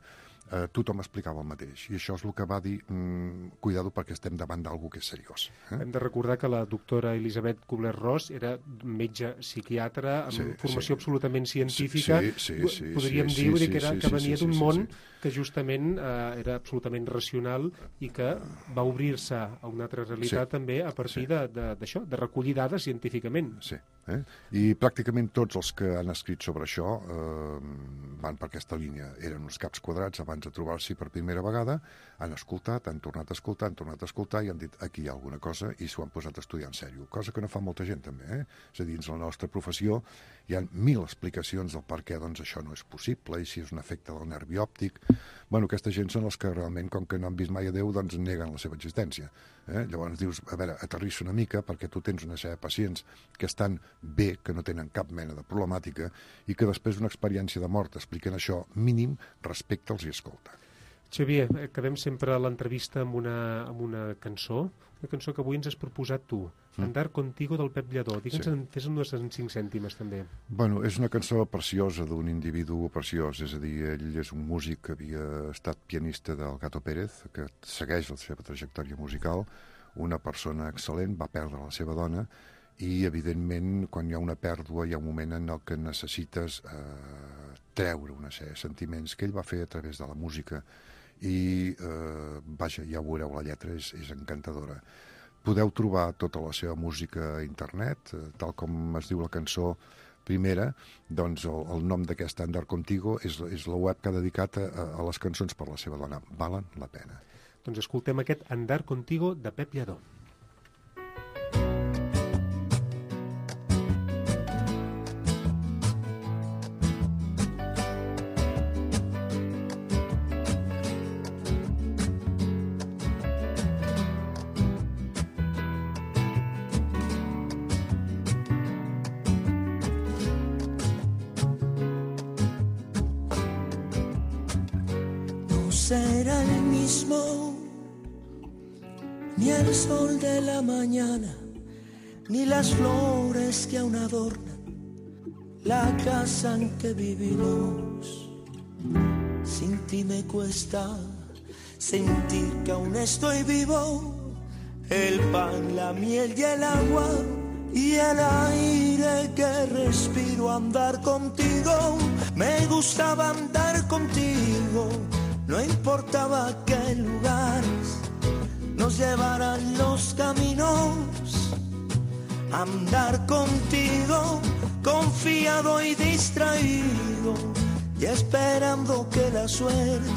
eh, tothom explicava el mateix. I això és el que va dir, mm, cuidado perquè estem davant d'algú que és seriós. Eh? Hem de recordar que la doctora Elisabeth Kubler-Ross era metge psiquiatra amb sí, formació sí. absolutament científica. Sí, sí, sí, Podríem sí, dir, sí, dir que, era, sí, que sí, venia sí, d'un sí, món sí. que justament eh, era absolutament racional i que va obrir-se a una altra realitat sí. també a partir sí. d'això, de, de, de recollir dades científicament. Sí. Eh? I pràcticament tots els que han escrit sobre això eh, van per aquesta línia. Eren uns caps quadrats abans de trobar-s'hi per primera vegada, han escoltat, han tornat a escoltar, han tornat a escoltar i han dit aquí hi ha alguna cosa i s'ho han posat a estudiar en sèrio, cosa que no fa molta gent també. Eh? És a dir, dins la nostra professió hi ha mil explicacions del per què doncs, això no és possible i si és un efecte del nervi òptic. Bueno, aquesta gent són els que realment, com que no han vist mai a Déu, doncs neguen la seva existència. Eh? Llavors dius, a veure, aterrissa una mica perquè tu tens una sèrie de pacients que estan bé, que no tenen cap mena de problemàtica i que després d'una experiència de mort expliquen això, mínim respecta'ls i escolta. Xavier, acabem sempre l'entrevista amb una, amb una cançó, una cançó que avui ens has proposat tu, mm. Andar contigo del Pep Lladó. Digue'ns, sí. Fes-nos en cinc cèntimes també. Bueno, és una cançó preciosa d'un individu preciós, és a dir, ell és un músic que havia estat pianista del Gato Pérez, que segueix la seva trajectòria musical, una persona excel·lent, va perdre la seva dona i, evidentment, quan hi ha una pèrdua hi ha un moment en el que necessites eh, treure una sèrie de sentiments que ell va fer a través de la música i, eh, vaja, ja ho veureu, la lletra és, és encantadora. Podeu trobar tota la seva música a internet, eh, tal com es diu la cançó primera, doncs el, el nom d'aquesta Andar Contigo és, és la web que ha dedicat a, a les cançons per la seva dona. Valen la pena. Doncs escoltem aquest Andar Contigo de Pep Lladó. Será el mismo, ni el sol de la mañana, ni las flores que aún adornan la casa en que vivimos. Sin ti me cuesta sentir que aún estoy vivo. El pan, la miel y el agua y el aire que respiro. Andar contigo, me gustaba andar contigo. No importaba qué lugares nos llevaran los caminos. Andar contigo, confiado y distraído, y esperando que la suerte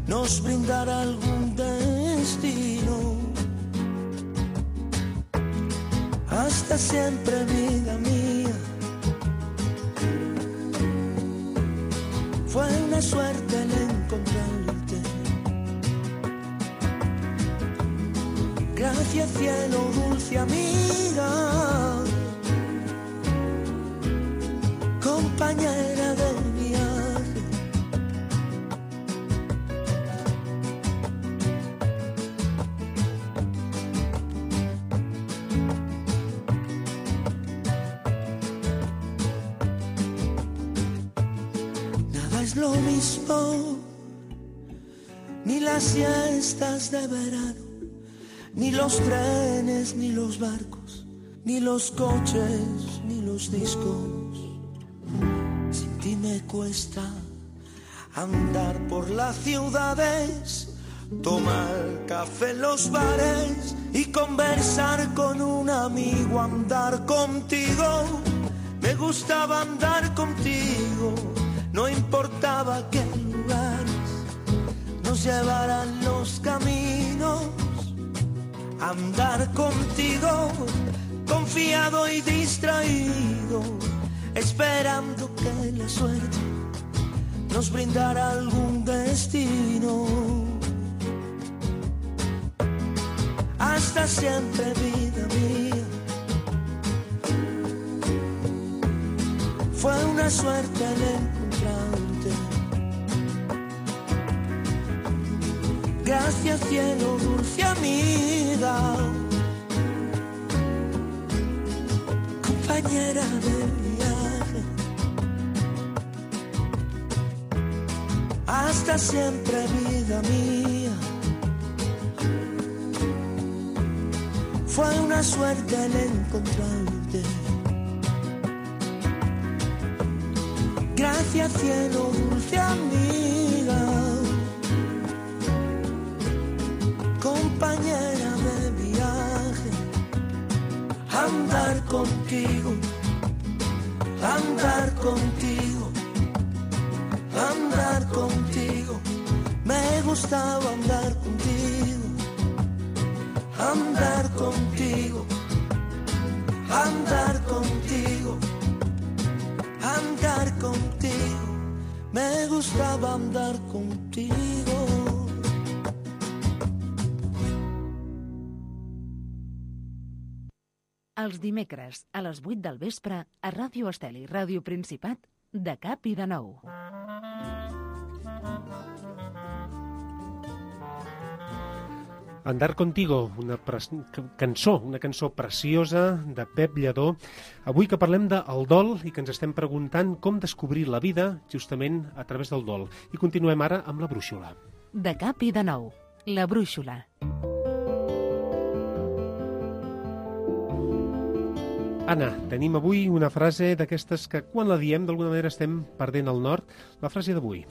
nos brindara algún destino. Hasta siempre, vida mía, fue una suerte el encontrarte. Gracias cielo, dulce amiga, compañera del viaje. Nada es lo mismo, ni las siestas de verano, ni los trenes, ni los barcos, ni los coches, ni los discos. Sin ti me cuesta andar por las ciudades, tomar café en los bares y conversar con un amigo, andar contigo. Me gustaba andar contigo, no importaba qué lugares nos llevaran los caminos. Andar contigo, confiado y distraído, esperando que la suerte nos brindara algún destino. Hasta siempre, vida mía, fue una suerte el encontrarte. Gracias cielo, dulce amiga, compañera del viaje. Hasta siempre, vida mía, fue una suerte el encontrarte. Gracias cielo, dulce amiga, compañera de viaje. Andar contigo, andar contigo, andar contigo. Me gustaba andar contigo, andar contigo, andar contigo, andar contigo. Me gustaba andar contigo. Els dimecres, a les vuit del vespre, a Ràdio Estel i Ràdio Principat, de cap i de nou. Andar contigo, una cançó, una cançó preciosa de Pep Lledó. Avui que parlem del dol i que ens estem preguntant com descobrir la vida justament a través del dol. I continuem ara amb la brúixola. De cap i de nou, la brúixola. Anna, tenim avui una frase d'aquestes que quan la diem d'alguna manera estem perdent el nord. La frase d'avui.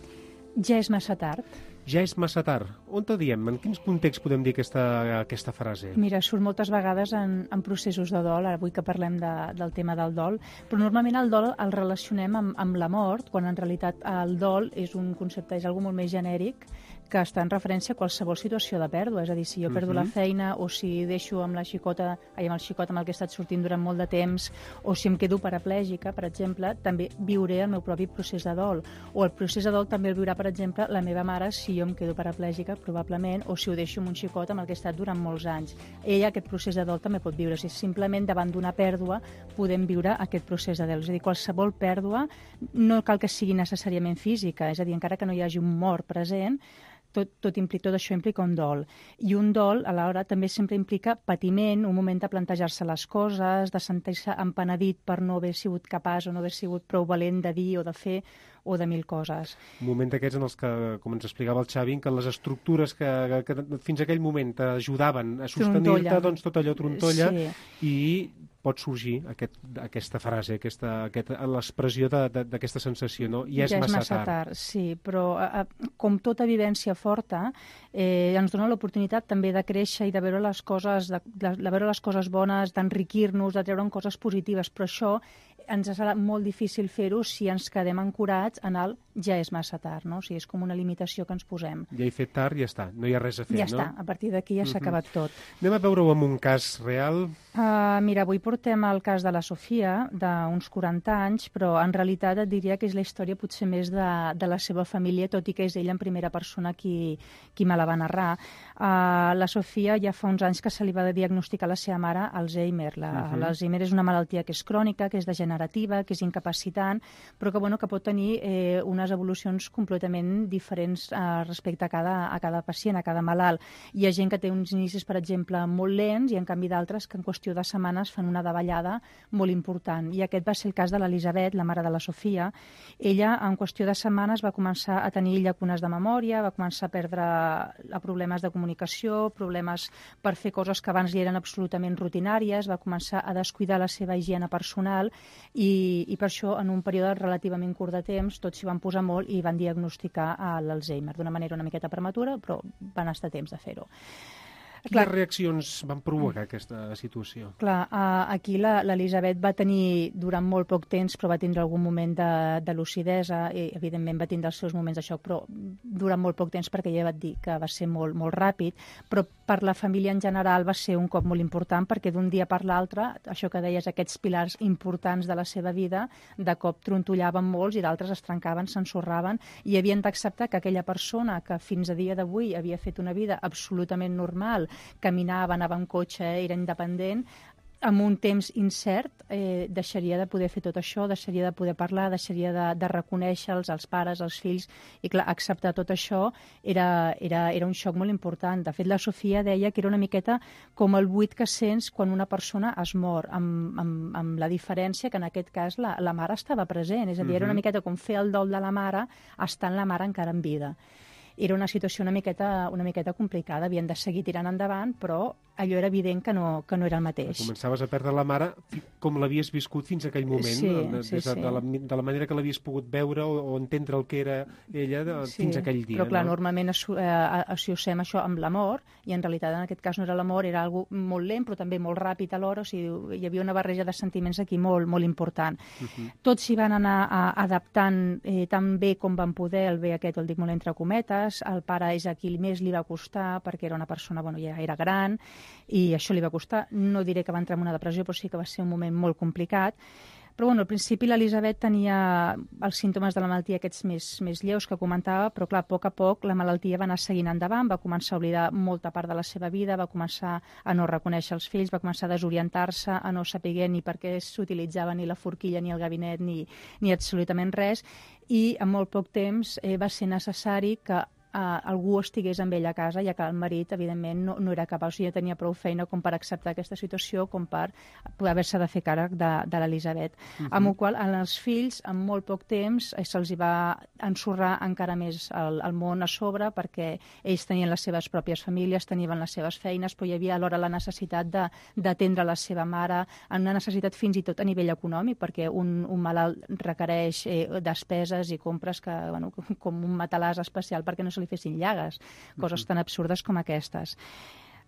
Ja és massa tard. Ja és massa tard. On te diem? En quins contexts podem dir aquesta, aquesta frase? Mira, surt moltes vegades en, en processos de dol, avui que parlem de, del tema del dol, però normalment el dol el relacionem amb, amb la mort, quan en realitat el dol és un concepte, és algo molt més genèric, que està en referència a qualsevol situació de pèrdua. És a dir, si jo perdo uh-huh. la feina o si deixo amb la xicota, ai, amb el xicot amb el que he estat sortint durant molt de temps, o si em quedo paraplègica, per exemple, també viuré el meu propi procés de dol. O el procés de dol també el viurà, per exemple, la meva mare si jo em quedo paraplègica, probablement, o si ho deixo amb un xicot amb el que he estat durant molts anys. Ella aquest procés de dol també pot viure. O sigui, simplement davant d'una pèrdua podem viure aquest procés de dol. És a dir, qualsevol pèrdua no cal que sigui necessàriament física, és a dir, encara que no hi hagi un mort present, Tot, tot, implica, tot això implica un dol. I un dol, a l'hora, també sempre implica patiment, un moment de plantejar-se les coses, de sentir-se empenedit per no haver sigut capaç o no haver sigut prou valent de dir o de fer o de mil coses. Un moment d'aquests en els que, com ens explicava el Xavi, que les estructures que, que fins a aquell moment t'ajudaven a sostenir-te, doncs tot allò trontolla, sí. I pot sorgir aquest, aquesta frase, aquesta, aquesta, l'expressió d'aquesta sensació, no? Ja és, ja és massa, massa tard. tard. Sí, però a, a, com tota vivència forta, eh, ens dona l'oportunitat també de créixer i de veure les coses, de, de, de veure les coses bones, d'enriquir-nos, de treure'n coses positives, però això ens serà molt difícil fer-ho si ens quedem ancorats en el ja és massa tard, no? O sigui, és com una limitació que ens posem. Ja he fet tard, ja està, no hi ha res a fer, ja no? Ja està, a partir d'aquí ja s'ha uh -huh. acabat tot. Anem a veure-ho amb un cas real. Uh, mira, avui portem el cas de la Sofia, d'uns quaranta anys, però en realitat et diria que és la història potser més de, de la seva família, tot i que és ella en primera persona qui, qui me la va narrar. Uh, la Sofia ja fa uns anys que se li va diagnosticar a la seva mare Alzheimer. La, uh -huh. L'Alzheimer és una malaltia que és crònica, que és degenerativa, que és incapacitant, però que, bueno, que pot tenir eh, unes evolucions completament diferents eh, respecte a cada, a cada pacient, a cada malalt. Hi ha gent que té uns inicis, per exemple, molt lents i, en canvi, d'altres que en qüestió de setmanes fan una davallada molt important. I aquest va ser el cas de l'Elisabet, la mare de la Sofia. Ella, en qüestió de setmanes, va començar a tenir llacunes de memòria, va començar a perdre a problemes de comunicació, problemes per fer coses que abans li eren absolutament rutinàries, va començar a descuidar la seva higiene personal i, i per això, en un període relativament curt de temps, tots s'hi van posar molt i van diagnosticar l'Alzheimer d'una manera una miqueta prematura, però van estar a temps de fer-ho. Quines clar, reaccions van provocar aquesta situació? Clar, uh, aquí l'Elisabet va tenir durant molt poc temps, però va tindre algun moment de, de lucidesa i, evidentment, va tindre els seus moments de xoc, però durant molt poc temps, perquè ja va dir que va ser molt, molt ràpid, però per la família en general va ser un cop molt important, perquè d'un dia per l'altre, això que deies, aquests pilars importants de la seva vida, de cop trontollaven molts i d'altres es trencaven, s'ensorraven, i havien d'acceptar que aquella persona que fins a dia d'avui havia fet una vida absolutament normal, caminava, anava en cotxe, era independent, amb un temps incert eh, deixaria de poder fer tot això, deixaria de poder parlar, deixaria de, de reconèixer-los, els pares, els fills, i clar, acceptar tot això era, era, era un xoc molt important. De fet, la Sofia deia que era una miqueta com el buit que sents quan una persona es mor, amb, amb, amb la diferència que en aquest cas la, la mare estava present, és a dir, uh-huh. era una miqueta com fer el dol de la mare estant la mare encara en vida. Era una situació una miqueta, una miqueta complicada, havien de seguir tirant endavant, però allò era evident que no, que no era el mateix. Començaves a perdre la mare com l'havies viscut fins a aquell moment, sí, de, sí, sí. De, la, de la manera que l'havies pogut veure o, o entendre el que era ella de, sí, fins a aquell dia. Però clar, no? normalment associem això amb l'amor, i en realitat en aquest cas no era l'amor, era algo molt lent, però també molt ràpid alhora, o sigui, hi havia una barreja de sentiments aquí molt, molt important. Uh-huh. Tots s'hi van anar a, adaptant eh, tan bé com van poder, el bé aquest, el dic molt entre cometes, el pare és a qui més li va costar, perquè era una persona, bueno, ja era gran, i això li va costar. No diré que va entrar en una depressió, però sí que va ser un moment molt complicat. Però bueno, al principi l'Elisabet tenia els símptomes de la malaltia aquests més, més lleus que comentava, però clar, a poc a poc la malaltia va anar seguint endavant, va començar a oblidar molta part de la seva vida, va començar a no reconèixer els fills, va començar a desorientar-se, a no saber ni per què s'utilitzava ni la forquilla, ni el gabinet, ni, ni absolutament res, i en molt poc temps eh, va ser necessari que Uh, algú estigués amb ell a casa, ja que el marit, evidentment, no, no era capaç, o sigui, tenia prou feina com per acceptar aquesta situació, com per poder haver-se de fer càrrec de, de l'Elisabet. Uh-huh. Amb el qual, als fills, en molt poc temps, eh, se'ls va ensorrar encara més el, el món a sobre, perquè ells tenien les seves pròpies famílies, tenien les seves feines, però hi havia alhora la necessitat d'atendre la seva mare, en una necessitat fins i tot a nivell econòmic, perquè un, un malalt requereix eh, despeses i compres que, bueno, com un matalàs especial perquè no se li fessin llagues, coses tan absurdes com aquestes.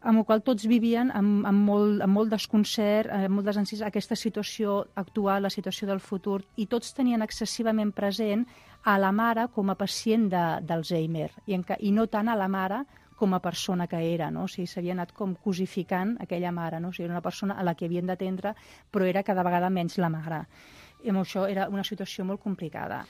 Amb el qual tots vivien amb, amb, molt, amb molt desconcert, amb molt desencís, aquesta situació actual, la situació del futur, i tots tenien excessivament present a la mare com a pacient d'Alzheimer, i, i no tant a la mare com a persona que era, no? O sigui, s'havia anat com cosificant aquella mare, no? O sigui, era una persona a la que havien d'atendre, però era cada vegada menys la mare. I amb això era una situació molt complicada.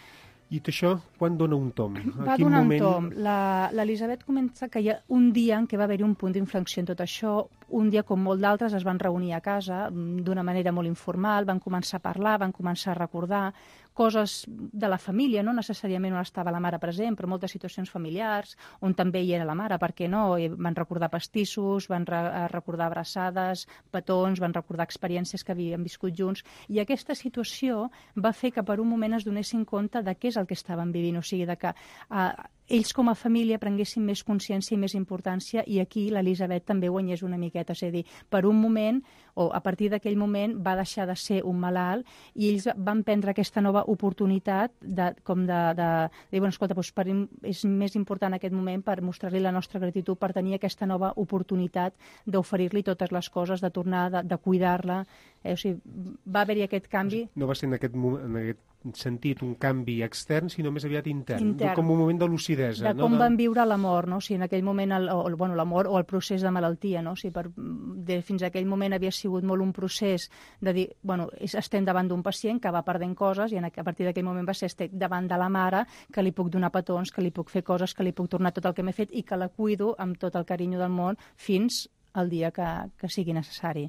I això, quan dona un tom? Va donar un tom. L'Elisabet comença que hi ha un dia en què va haver-hi un punt d'inflexió en tot això. Un dia, com molt d'altres, es van reunir a casa d'una manera molt informal, van començar a parlar, van començar a recordar coses de la família, no necessàriament on estava la mare present, però moltes situacions familiars, on també hi era la mare, per què no? I van recordar pastissos, van re recordar abraçades, petons, van recordar experiències que havien viscut junts, i aquesta situació va fer que per un moment es donessin compte de què és el que estaven vivint, o sigui, de que uh, ells com a família prenguessin més consciència i més importància, i aquí l'Elisabet també guanyés una miqueta. És a dir, per un moment, o a partir d'aquell moment, va deixar de ser un malalt i ells van prendre aquesta nova oportunitat de, com de, de, de dir, bueno, escolta, doncs per, és més important aquest moment per mostrar-li la nostra gratitud, per tenir aquesta nova oportunitat d'oferir-li totes les coses, de tornar, de, de cuidar-la. Eh? O sigui, va haver-hi aquest canvi. No va ser en aquest, en aquest sentit un canvi extern, sinó més aviat intern, intern. Com un moment de lucidesa. De com no? de... van viure la mort, no? O sigui, en aquell moment, el, o, bueno, la mort o el procés de malaltia, no? O sigui, per, de, fins a aquell moment havia sigut molt un procés de dir, bueno, estem davant d'un pacient que va perdent coses, i a partir d'aquell moment va ser estic davant de la mare, que li puc donar petons, que li puc fer coses, que li puc tornar tot el que m'he fet i que la cuido amb tot el carinyo del món fins al dia que, que sigui necessari.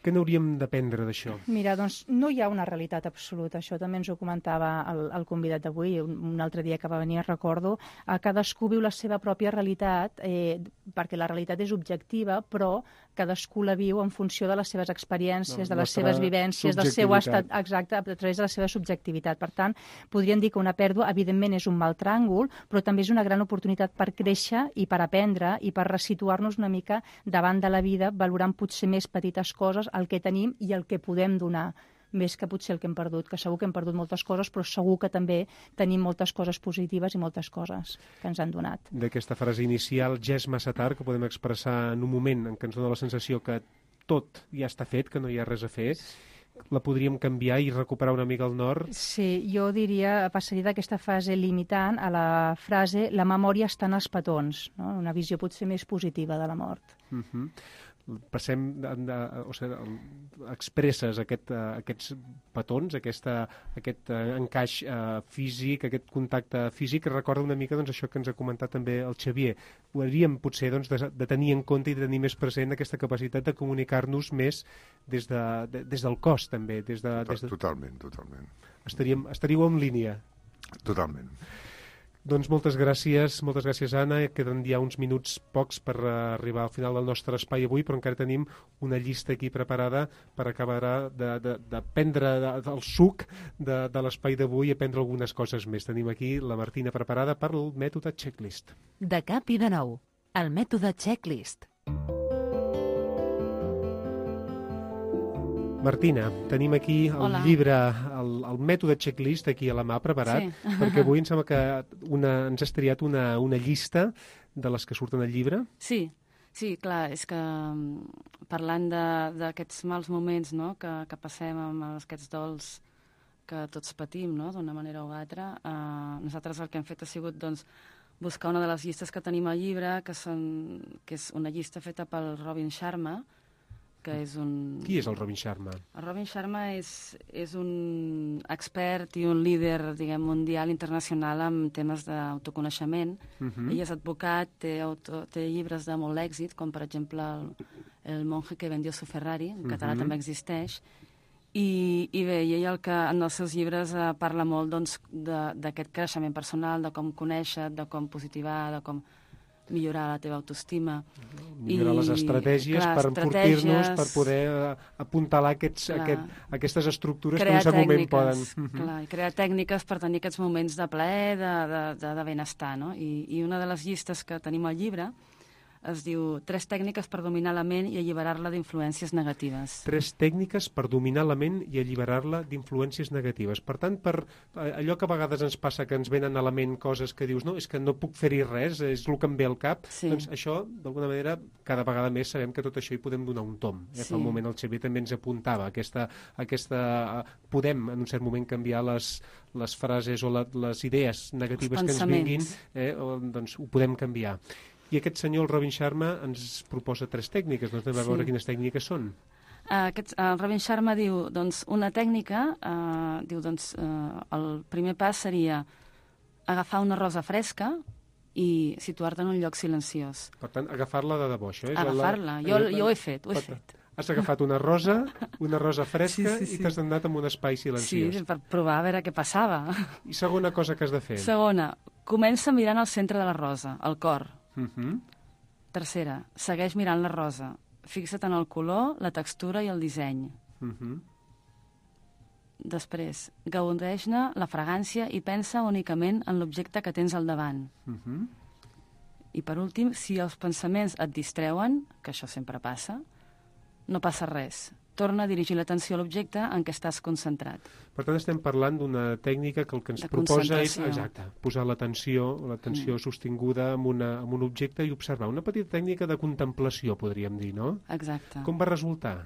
Què n'hauríem d'aprendre d'això? Mira, doncs no hi ha una realitat absoluta. Això també ens ho comentava el, el convidat d'avui, un, un altre dia que va venir, recordo. Eh, cadascú viu la seva pròpia realitat, eh, perquè la realitat és objectiva, però cadascú la viu en funció de les seves experiències, de les seves vivències, del seu estat, exacte, a través de la seva subjectivitat. Per tant, podríem dir que una pèrdua, evidentment, és un mal tràngol, però també és una gran oportunitat per créixer i per aprendre i per resituar-nos una mica davant de la vida, valorant potser més petites coses, el que tenim i el que podem donar, més que potser el que hem perdut, que segur que hem perdut moltes coses, però segur que també tenim moltes coses positives i moltes coses que ens han donat. D'aquesta frase inicial, ja és massa tard, que podem expressar en un moment en què ens dona la sensació que tot ja està fet, que no hi ha res a fer, la podríem canviar i recuperar una mica el nord? Sí, jo diria, passaria d'aquesta fase limitant a la frase la memòria està en els petons, no? Una visió potser més positiva de la mort. Uh-huh. Passem, de, de, o sigui, expresses aquest, uh, aquests petons, aquesta, aquest uh, encaix uh, físic, aquest contacte físic, que recorda una mica doncs, això que ens ha comentat també el Xavier. Ho hauríem potser doncs, de, de tenir en compte i de tenir més present aquesta capacitat de comunicar-nos més des, de, de, des del cos també. Des de, des de... Totalment, totalment. Estaríem, estaríeu en línia? Totalment. Doncs moltes gràcies, moltes gràcies, Anna. Queden ja uns minuts pocs per arribar al final del nostre espai avui, però encara tenim una llista aquí preparada per acabar de, de, de prendre de, el suc de, de l'espai d'avui i aprendre algunes coses més. Tenim aquí la Martina preparada per el mètode checklist. De cap i de nou, el mètode checklist. Martina, tenim aquí el Hola. llibre, el, el mètode checklist aquí a la mà preparat, Sí. perquè avui em sembla que una, ens has triat una, una llista de les que surten al llibre. Sí, sí, clar, és que mm, parlant de- d'aquests mals moments, no?, que, que passem amb aquests dols que tots patim, no?, d'una manera o altra, eh, nosaltres el que hem fet ha sigut, doncs, buscar una de les llistes que tenim al llibre, que, són, que és una llista feta pel Robin Sharma, que és un... Qui és el Robin Sharma? El Robin Sharma és, és un expert i un líder, diguem, mundial, internacional en temes d'autoconeixement. Mhm. Ell és advocat, té, auto, té llibres de molt èxit, com per exemple el, el monje que vendió su Ferrari, en català Mhm. també existeix. I, i bé, i ell el que en els seus llibres eh, parla molt doncs, de- d'aquest creixement personal, de com conèixer, de com positivar, de com millorar la teva autoestima. Millorar les estratègies clar, per enfortir-nos, estratègies, per poder eh, apuntalar aquests, Clar. aquest, aquestes estructures que crear en un cert moment tècniques, poden... clar, i crear tècniques per tenir aquests moments de plaer, de, de, de, de benestar, no? I, I una de les llistes que tenim al llibre es diu Tres tècniques per dominar la ment i alliberar-la d'influències negatives. Tres tècniques per dominar la ment i alliberar-la d'influències negatives. Per tant, per eh, allò que a vegades ens passa, que ens venen a la ment coses que dius, no, és que no puc fer-hi res, és el que em ve al cap, Sí. doncs això, d'alguna manera, cada vegada més sabem que tot això hi podem donar un tom. Eh? Fa Sí. un moment el Xavier també ens apuntava aquesta... aquesta eh, podem, en un cert moment, canviar les, les frases o la, les idees negatives que ens pensaments. vinguin, eh? o, doncs ho podem canviar. I aquest senyor, el Robin Sharma, ens proposa tres tècniques. Doncs anem a Sí. veure quines tècniques són. Uh, aquest, uh, Robin Sharma diu, doncs, una tècnica, uh, diu, doncs, uh, el primer pas seria agafar una rosa fresca i situar-te en un lloc silenciós. Per tant, agafar-la de debò, això és... Agafar-la. Jo, jo ho he fet, ho he fet. Has agafat una rosa, una rosa fresca, Sí, sí, sí. i t'has anat en un espai Sí, silenciós. per provar a veure què passava. I segona cosa que has de fer. Segona, comença mirant al centre de la rosa, el cor. Uh -huh. Tercera, segueix mirant la rosa. Fixa't en el color, la textura i el disseny. Uh -huh. Després, gaudeix-ne la fragància i pensa únicament en l'objecte que tens al davant. Uh-huh. I per últim, si els pensaments et distreuen, que això sempre passa, no passa res. Torna a dirigir l'atenció a l'objecte en què estàs concentrat. Per tant, estem parlant d'una tècnica que el que ens de proposa és exacte, posar l'atenció l'atenció mm. sostinguda en, una, en un objecte i observar. Una petita tècnica de contemplació, podríem dir, no? Exacte. Com va resultar?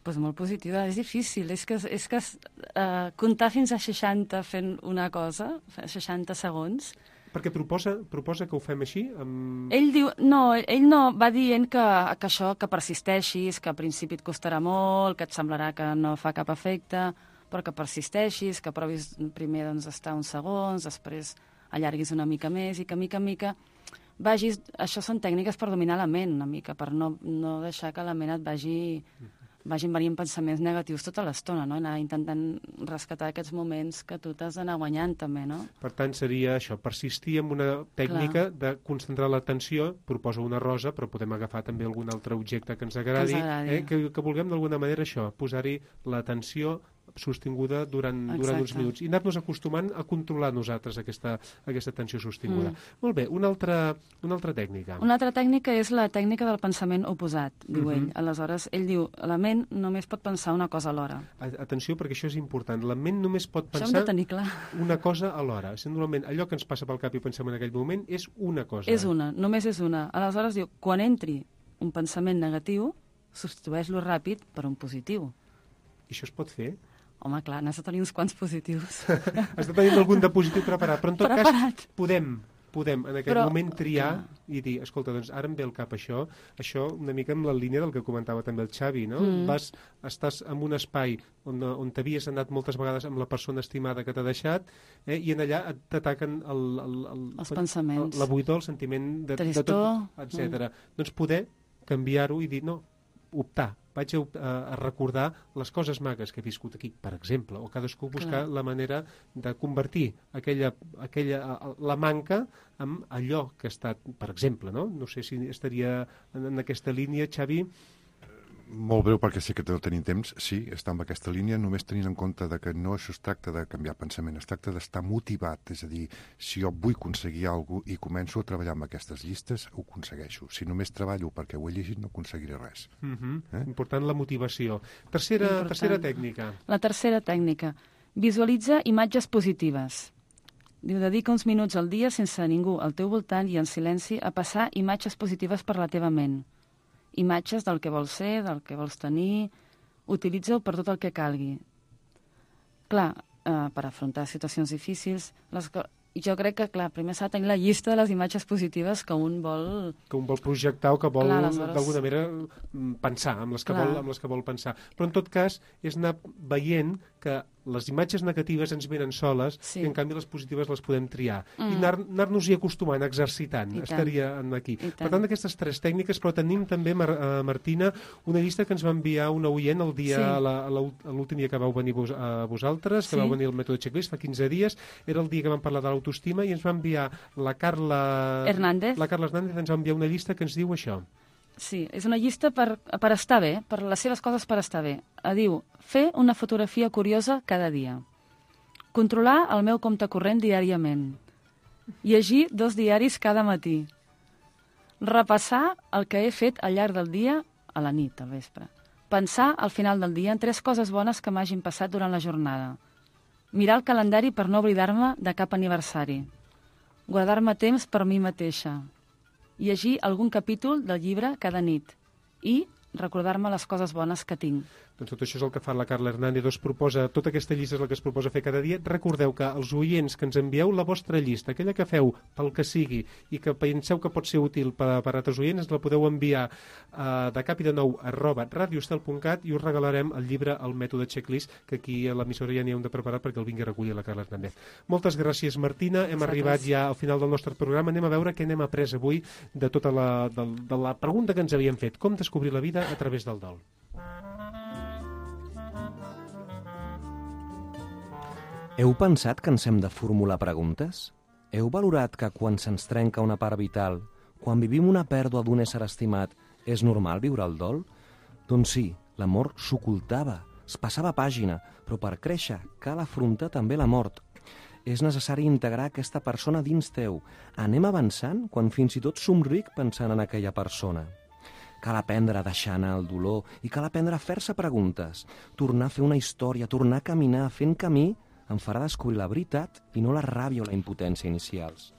Pues molt positiva, és difícil. És que, és que uh, comptar fins a seixanta fent una cosa, seixanta segons... Perquè proposa, proposa que ho fem així? Amb... Ell diu, no, ell no, va dient que, que això, que persisteixis, que al principi et costarà molt, que et semblarà que no fa cap efecte, però que persisteixis, que provis primer doncs, estar uns segons, després allarguis una mica més i que mica en mica vagis... Això són tècniques per dominar la ment una mica, per no, no deixar que la ment et vagi... vagin venint pensaments negatius tota l'estona, no? Anar intentant rescatar aquests moments que tu t'has d'anar guanyant també, no? Per tant, seria això, persistir en una tècnica Clar. de concentrar l'atenció, proposa una rosa, però podem agafar també algun altre objecte que ens agradi, que, ens agradi. Eh? que, que vulguem d'alguna manera això, posar-hi l'atenció sostinguda durant, durant uns minuts i anar-nos acostumant a controlar nosaltres aquesta, aquesta tensió sostinguda. Mm. Molt bé, una altra, una altra tècnica. Una altra tècnica és la tècnica del pensament oposat, diu mm-hmm. ell. Aleshores, ell diu, la ment només pot pensar una cosa alhora. Atenció, perquè això és important. La ment només pot pensar això hem de tenir clar. una cosa alhora. Si normalment allò que ens passa pel cap i pensem en aquell moment és una cosa. És una, només és una. Aleshores, diu, quan entri un pensament negatiu, substitueix-lo ràpid per un positiu. I això es pot fer? Home, clar, n'has de tenir uns quants positius. Has de tenir algun de positiu preparat, però en tot preparat. cas podem, podem en aquest però, moment triar clar. i dir, escolta, doncs ara em ve al cap això, això una mica en la línia del que comentava també el Xavi, no? Mm. Vas, estàs en un espai on, on t'havies anat moltes vegades amb la persona estimada que t'ha deixat, eh, i en allà t'ataquen el, el, el, els pensaments, la buidor, el sentiment de, Tristor, de tot, etcètera. Mm. Doncs poder canviar-ho i dir, no, optar, vaig a, a, a recordar les coses magues que he viscut aquí, per exemple, o cadascú buscar Clar. la manera de convertir aquella, aquella, la manca en allò que ha estat, per exemple, no? No sé si estaria en, en aquesta línia, Xavi. Molt breu, perquè sé que no tenim temps. Sí, està en aquesta línia, només tenint en compte de que no es tracta de canviar pensament, es tracta d'estar motivat, és a dir, si jo vull aconseguir alguna cosa i començo a treballar amb aquestes llistes, ho aconsegueixo. Si només treballo perquè ho he llegit, no aconseguiré res. Uh-huh. eh? Important la motivació. Tercera, Important. tercera tècnica. La tercera tècnica. Visualitza imatges positives. Diu, dedica uns minuts al dia sense ningú al teu voltant i en silenci a passar imatges positives per la teva ment. Imatges del que vols ser, del que vols tenir, utilitza-ho per tot el que calgui. Clar, eh, per afrontar situacions difícils, les co- jo crec que, clar, primer s'ha de tenir la llista de les imatges positives que un vol... Que un vol projectar o que vol, clar, aleshores... d'alguna manera, pensar, amb les, que vol, amb les que vol pensar. Però, en tot cas, és anar veient que les imatges negatives ens venen soles sí. i, en canvi, les positives les podem triar. Mm. I anar, anar-nos-hi acostumant, exercitant, I estaria tant. aquí. I per tant, aquestes tres tècniques, però tenim també, Mar uh, Martina, una llista que ens va enviar una oient el dia, sí. la, la, l'últim dia que vau venir vos, a vosaltres, que sí. vau venir al mètode Checklist, fa quinze dies, era el dia que vam parlar de l'autoestima, i ens va enviar la Carla Hernández. La Carla Hernández ens va enviar una llista que ens diu això. Sí, és una llista per, per estar bé, per les seves coses per estar bé. Diu, fer una fotografia curiosa cada dia. Controlar el meu compte corrent diàriament. Llegir dos diaris cada matí. Repassar el que he fet al llarg del dia a la nit, al vespre. Pensar al final del dia en tres coses bones que m'hagin passat durant la jornada. Mirar el calendari per no oblidar-me de cap aniversari. Guardar-me temps per mi mateixa. Llegir algun capítol del llibre cada nit. I recordar-me les coses bones que tinc. Doncs tot això és el que fa la Carla Hernández. Es proposa, tota aquesta llista és la que es proposa fer cada dia. Recordeu que els oients que ens envieu la vostra llista, aquella que feu pel que sigui i que penseu que pot ser útil per, per a altres oients, ens la podeu enviar uh, de cap i de nou arroba radioestel punt cat i us regalarem el llibre El mètode Checklist, que aquí a l'emissora ja n'hi hem de preparar perquè el vingui a recollir la Carla Hernández. Moltes gràcies, Martina. Hem Exacte. arribat ja al final del nostre programa. Anem a veure què n'hem après avui de tota la, de, de la pregunta que ens havíem fet. Com descobrir la vida a través del dol. Heu pensat que ens hem de formular preguntes? Heu valorat que quan se'ns trenca una part vital, quan vivim una pèrdua d'un ésser estimat, és normal viure el dol? Doncs sí, l'amor s'ocultava. es passava pàgina, però per créixer cal afrontar també la mort. És necessari integrar aquesta persona dins teu. Anem avançant quan fins i tot somric pensant en aquella persona. Cal aprendre a deixar anar el dolor i cal aprendre a fer-se preguntes. Tornar a fer una història, tornar a caminar, fent camí, em farà descobrir la veritat i no la ràbia o la impotència inicials.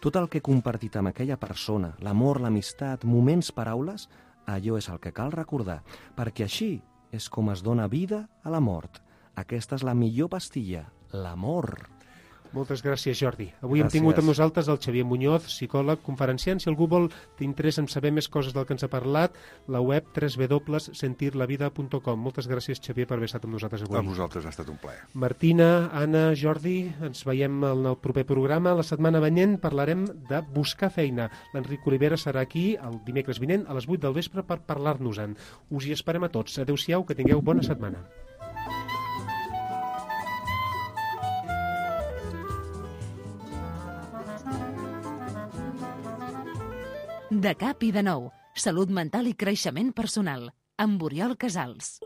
Tot el que he compartit amb aquella persona, l'amor, l'amistat, moments, paraules, allò és el que cal recordar, perquè així és com es dona vida a la mort. Aquesta és la millor pastilla, l'amor. Moltes gràcies, Jordi. Avui Gràcies. hem tingut amb nosaltres el Xavier Muñoz, psicòleg, conferenciant. Si algú vol t'interessa en saber més coses del que ens ha parlat, la web w w w punt sentir la vida punt com. Moltes gràcies, Xavier, per haver estat amb nosaltres avui. A vosaltres ha estat un plaer. Martina, Anna, Jordi, ens veiem en el proper programa. La setmana venent parlarem de buscar feina. L'Enric Olivera serà aquí el dimecres vinent a les vuit del vespre per parlar-nos-en. Us hi esperem a tots. Adéu-siau, que tingueu bona setmana. De cap i de nou, salut mental i creixement personal, amb Oriol Casals.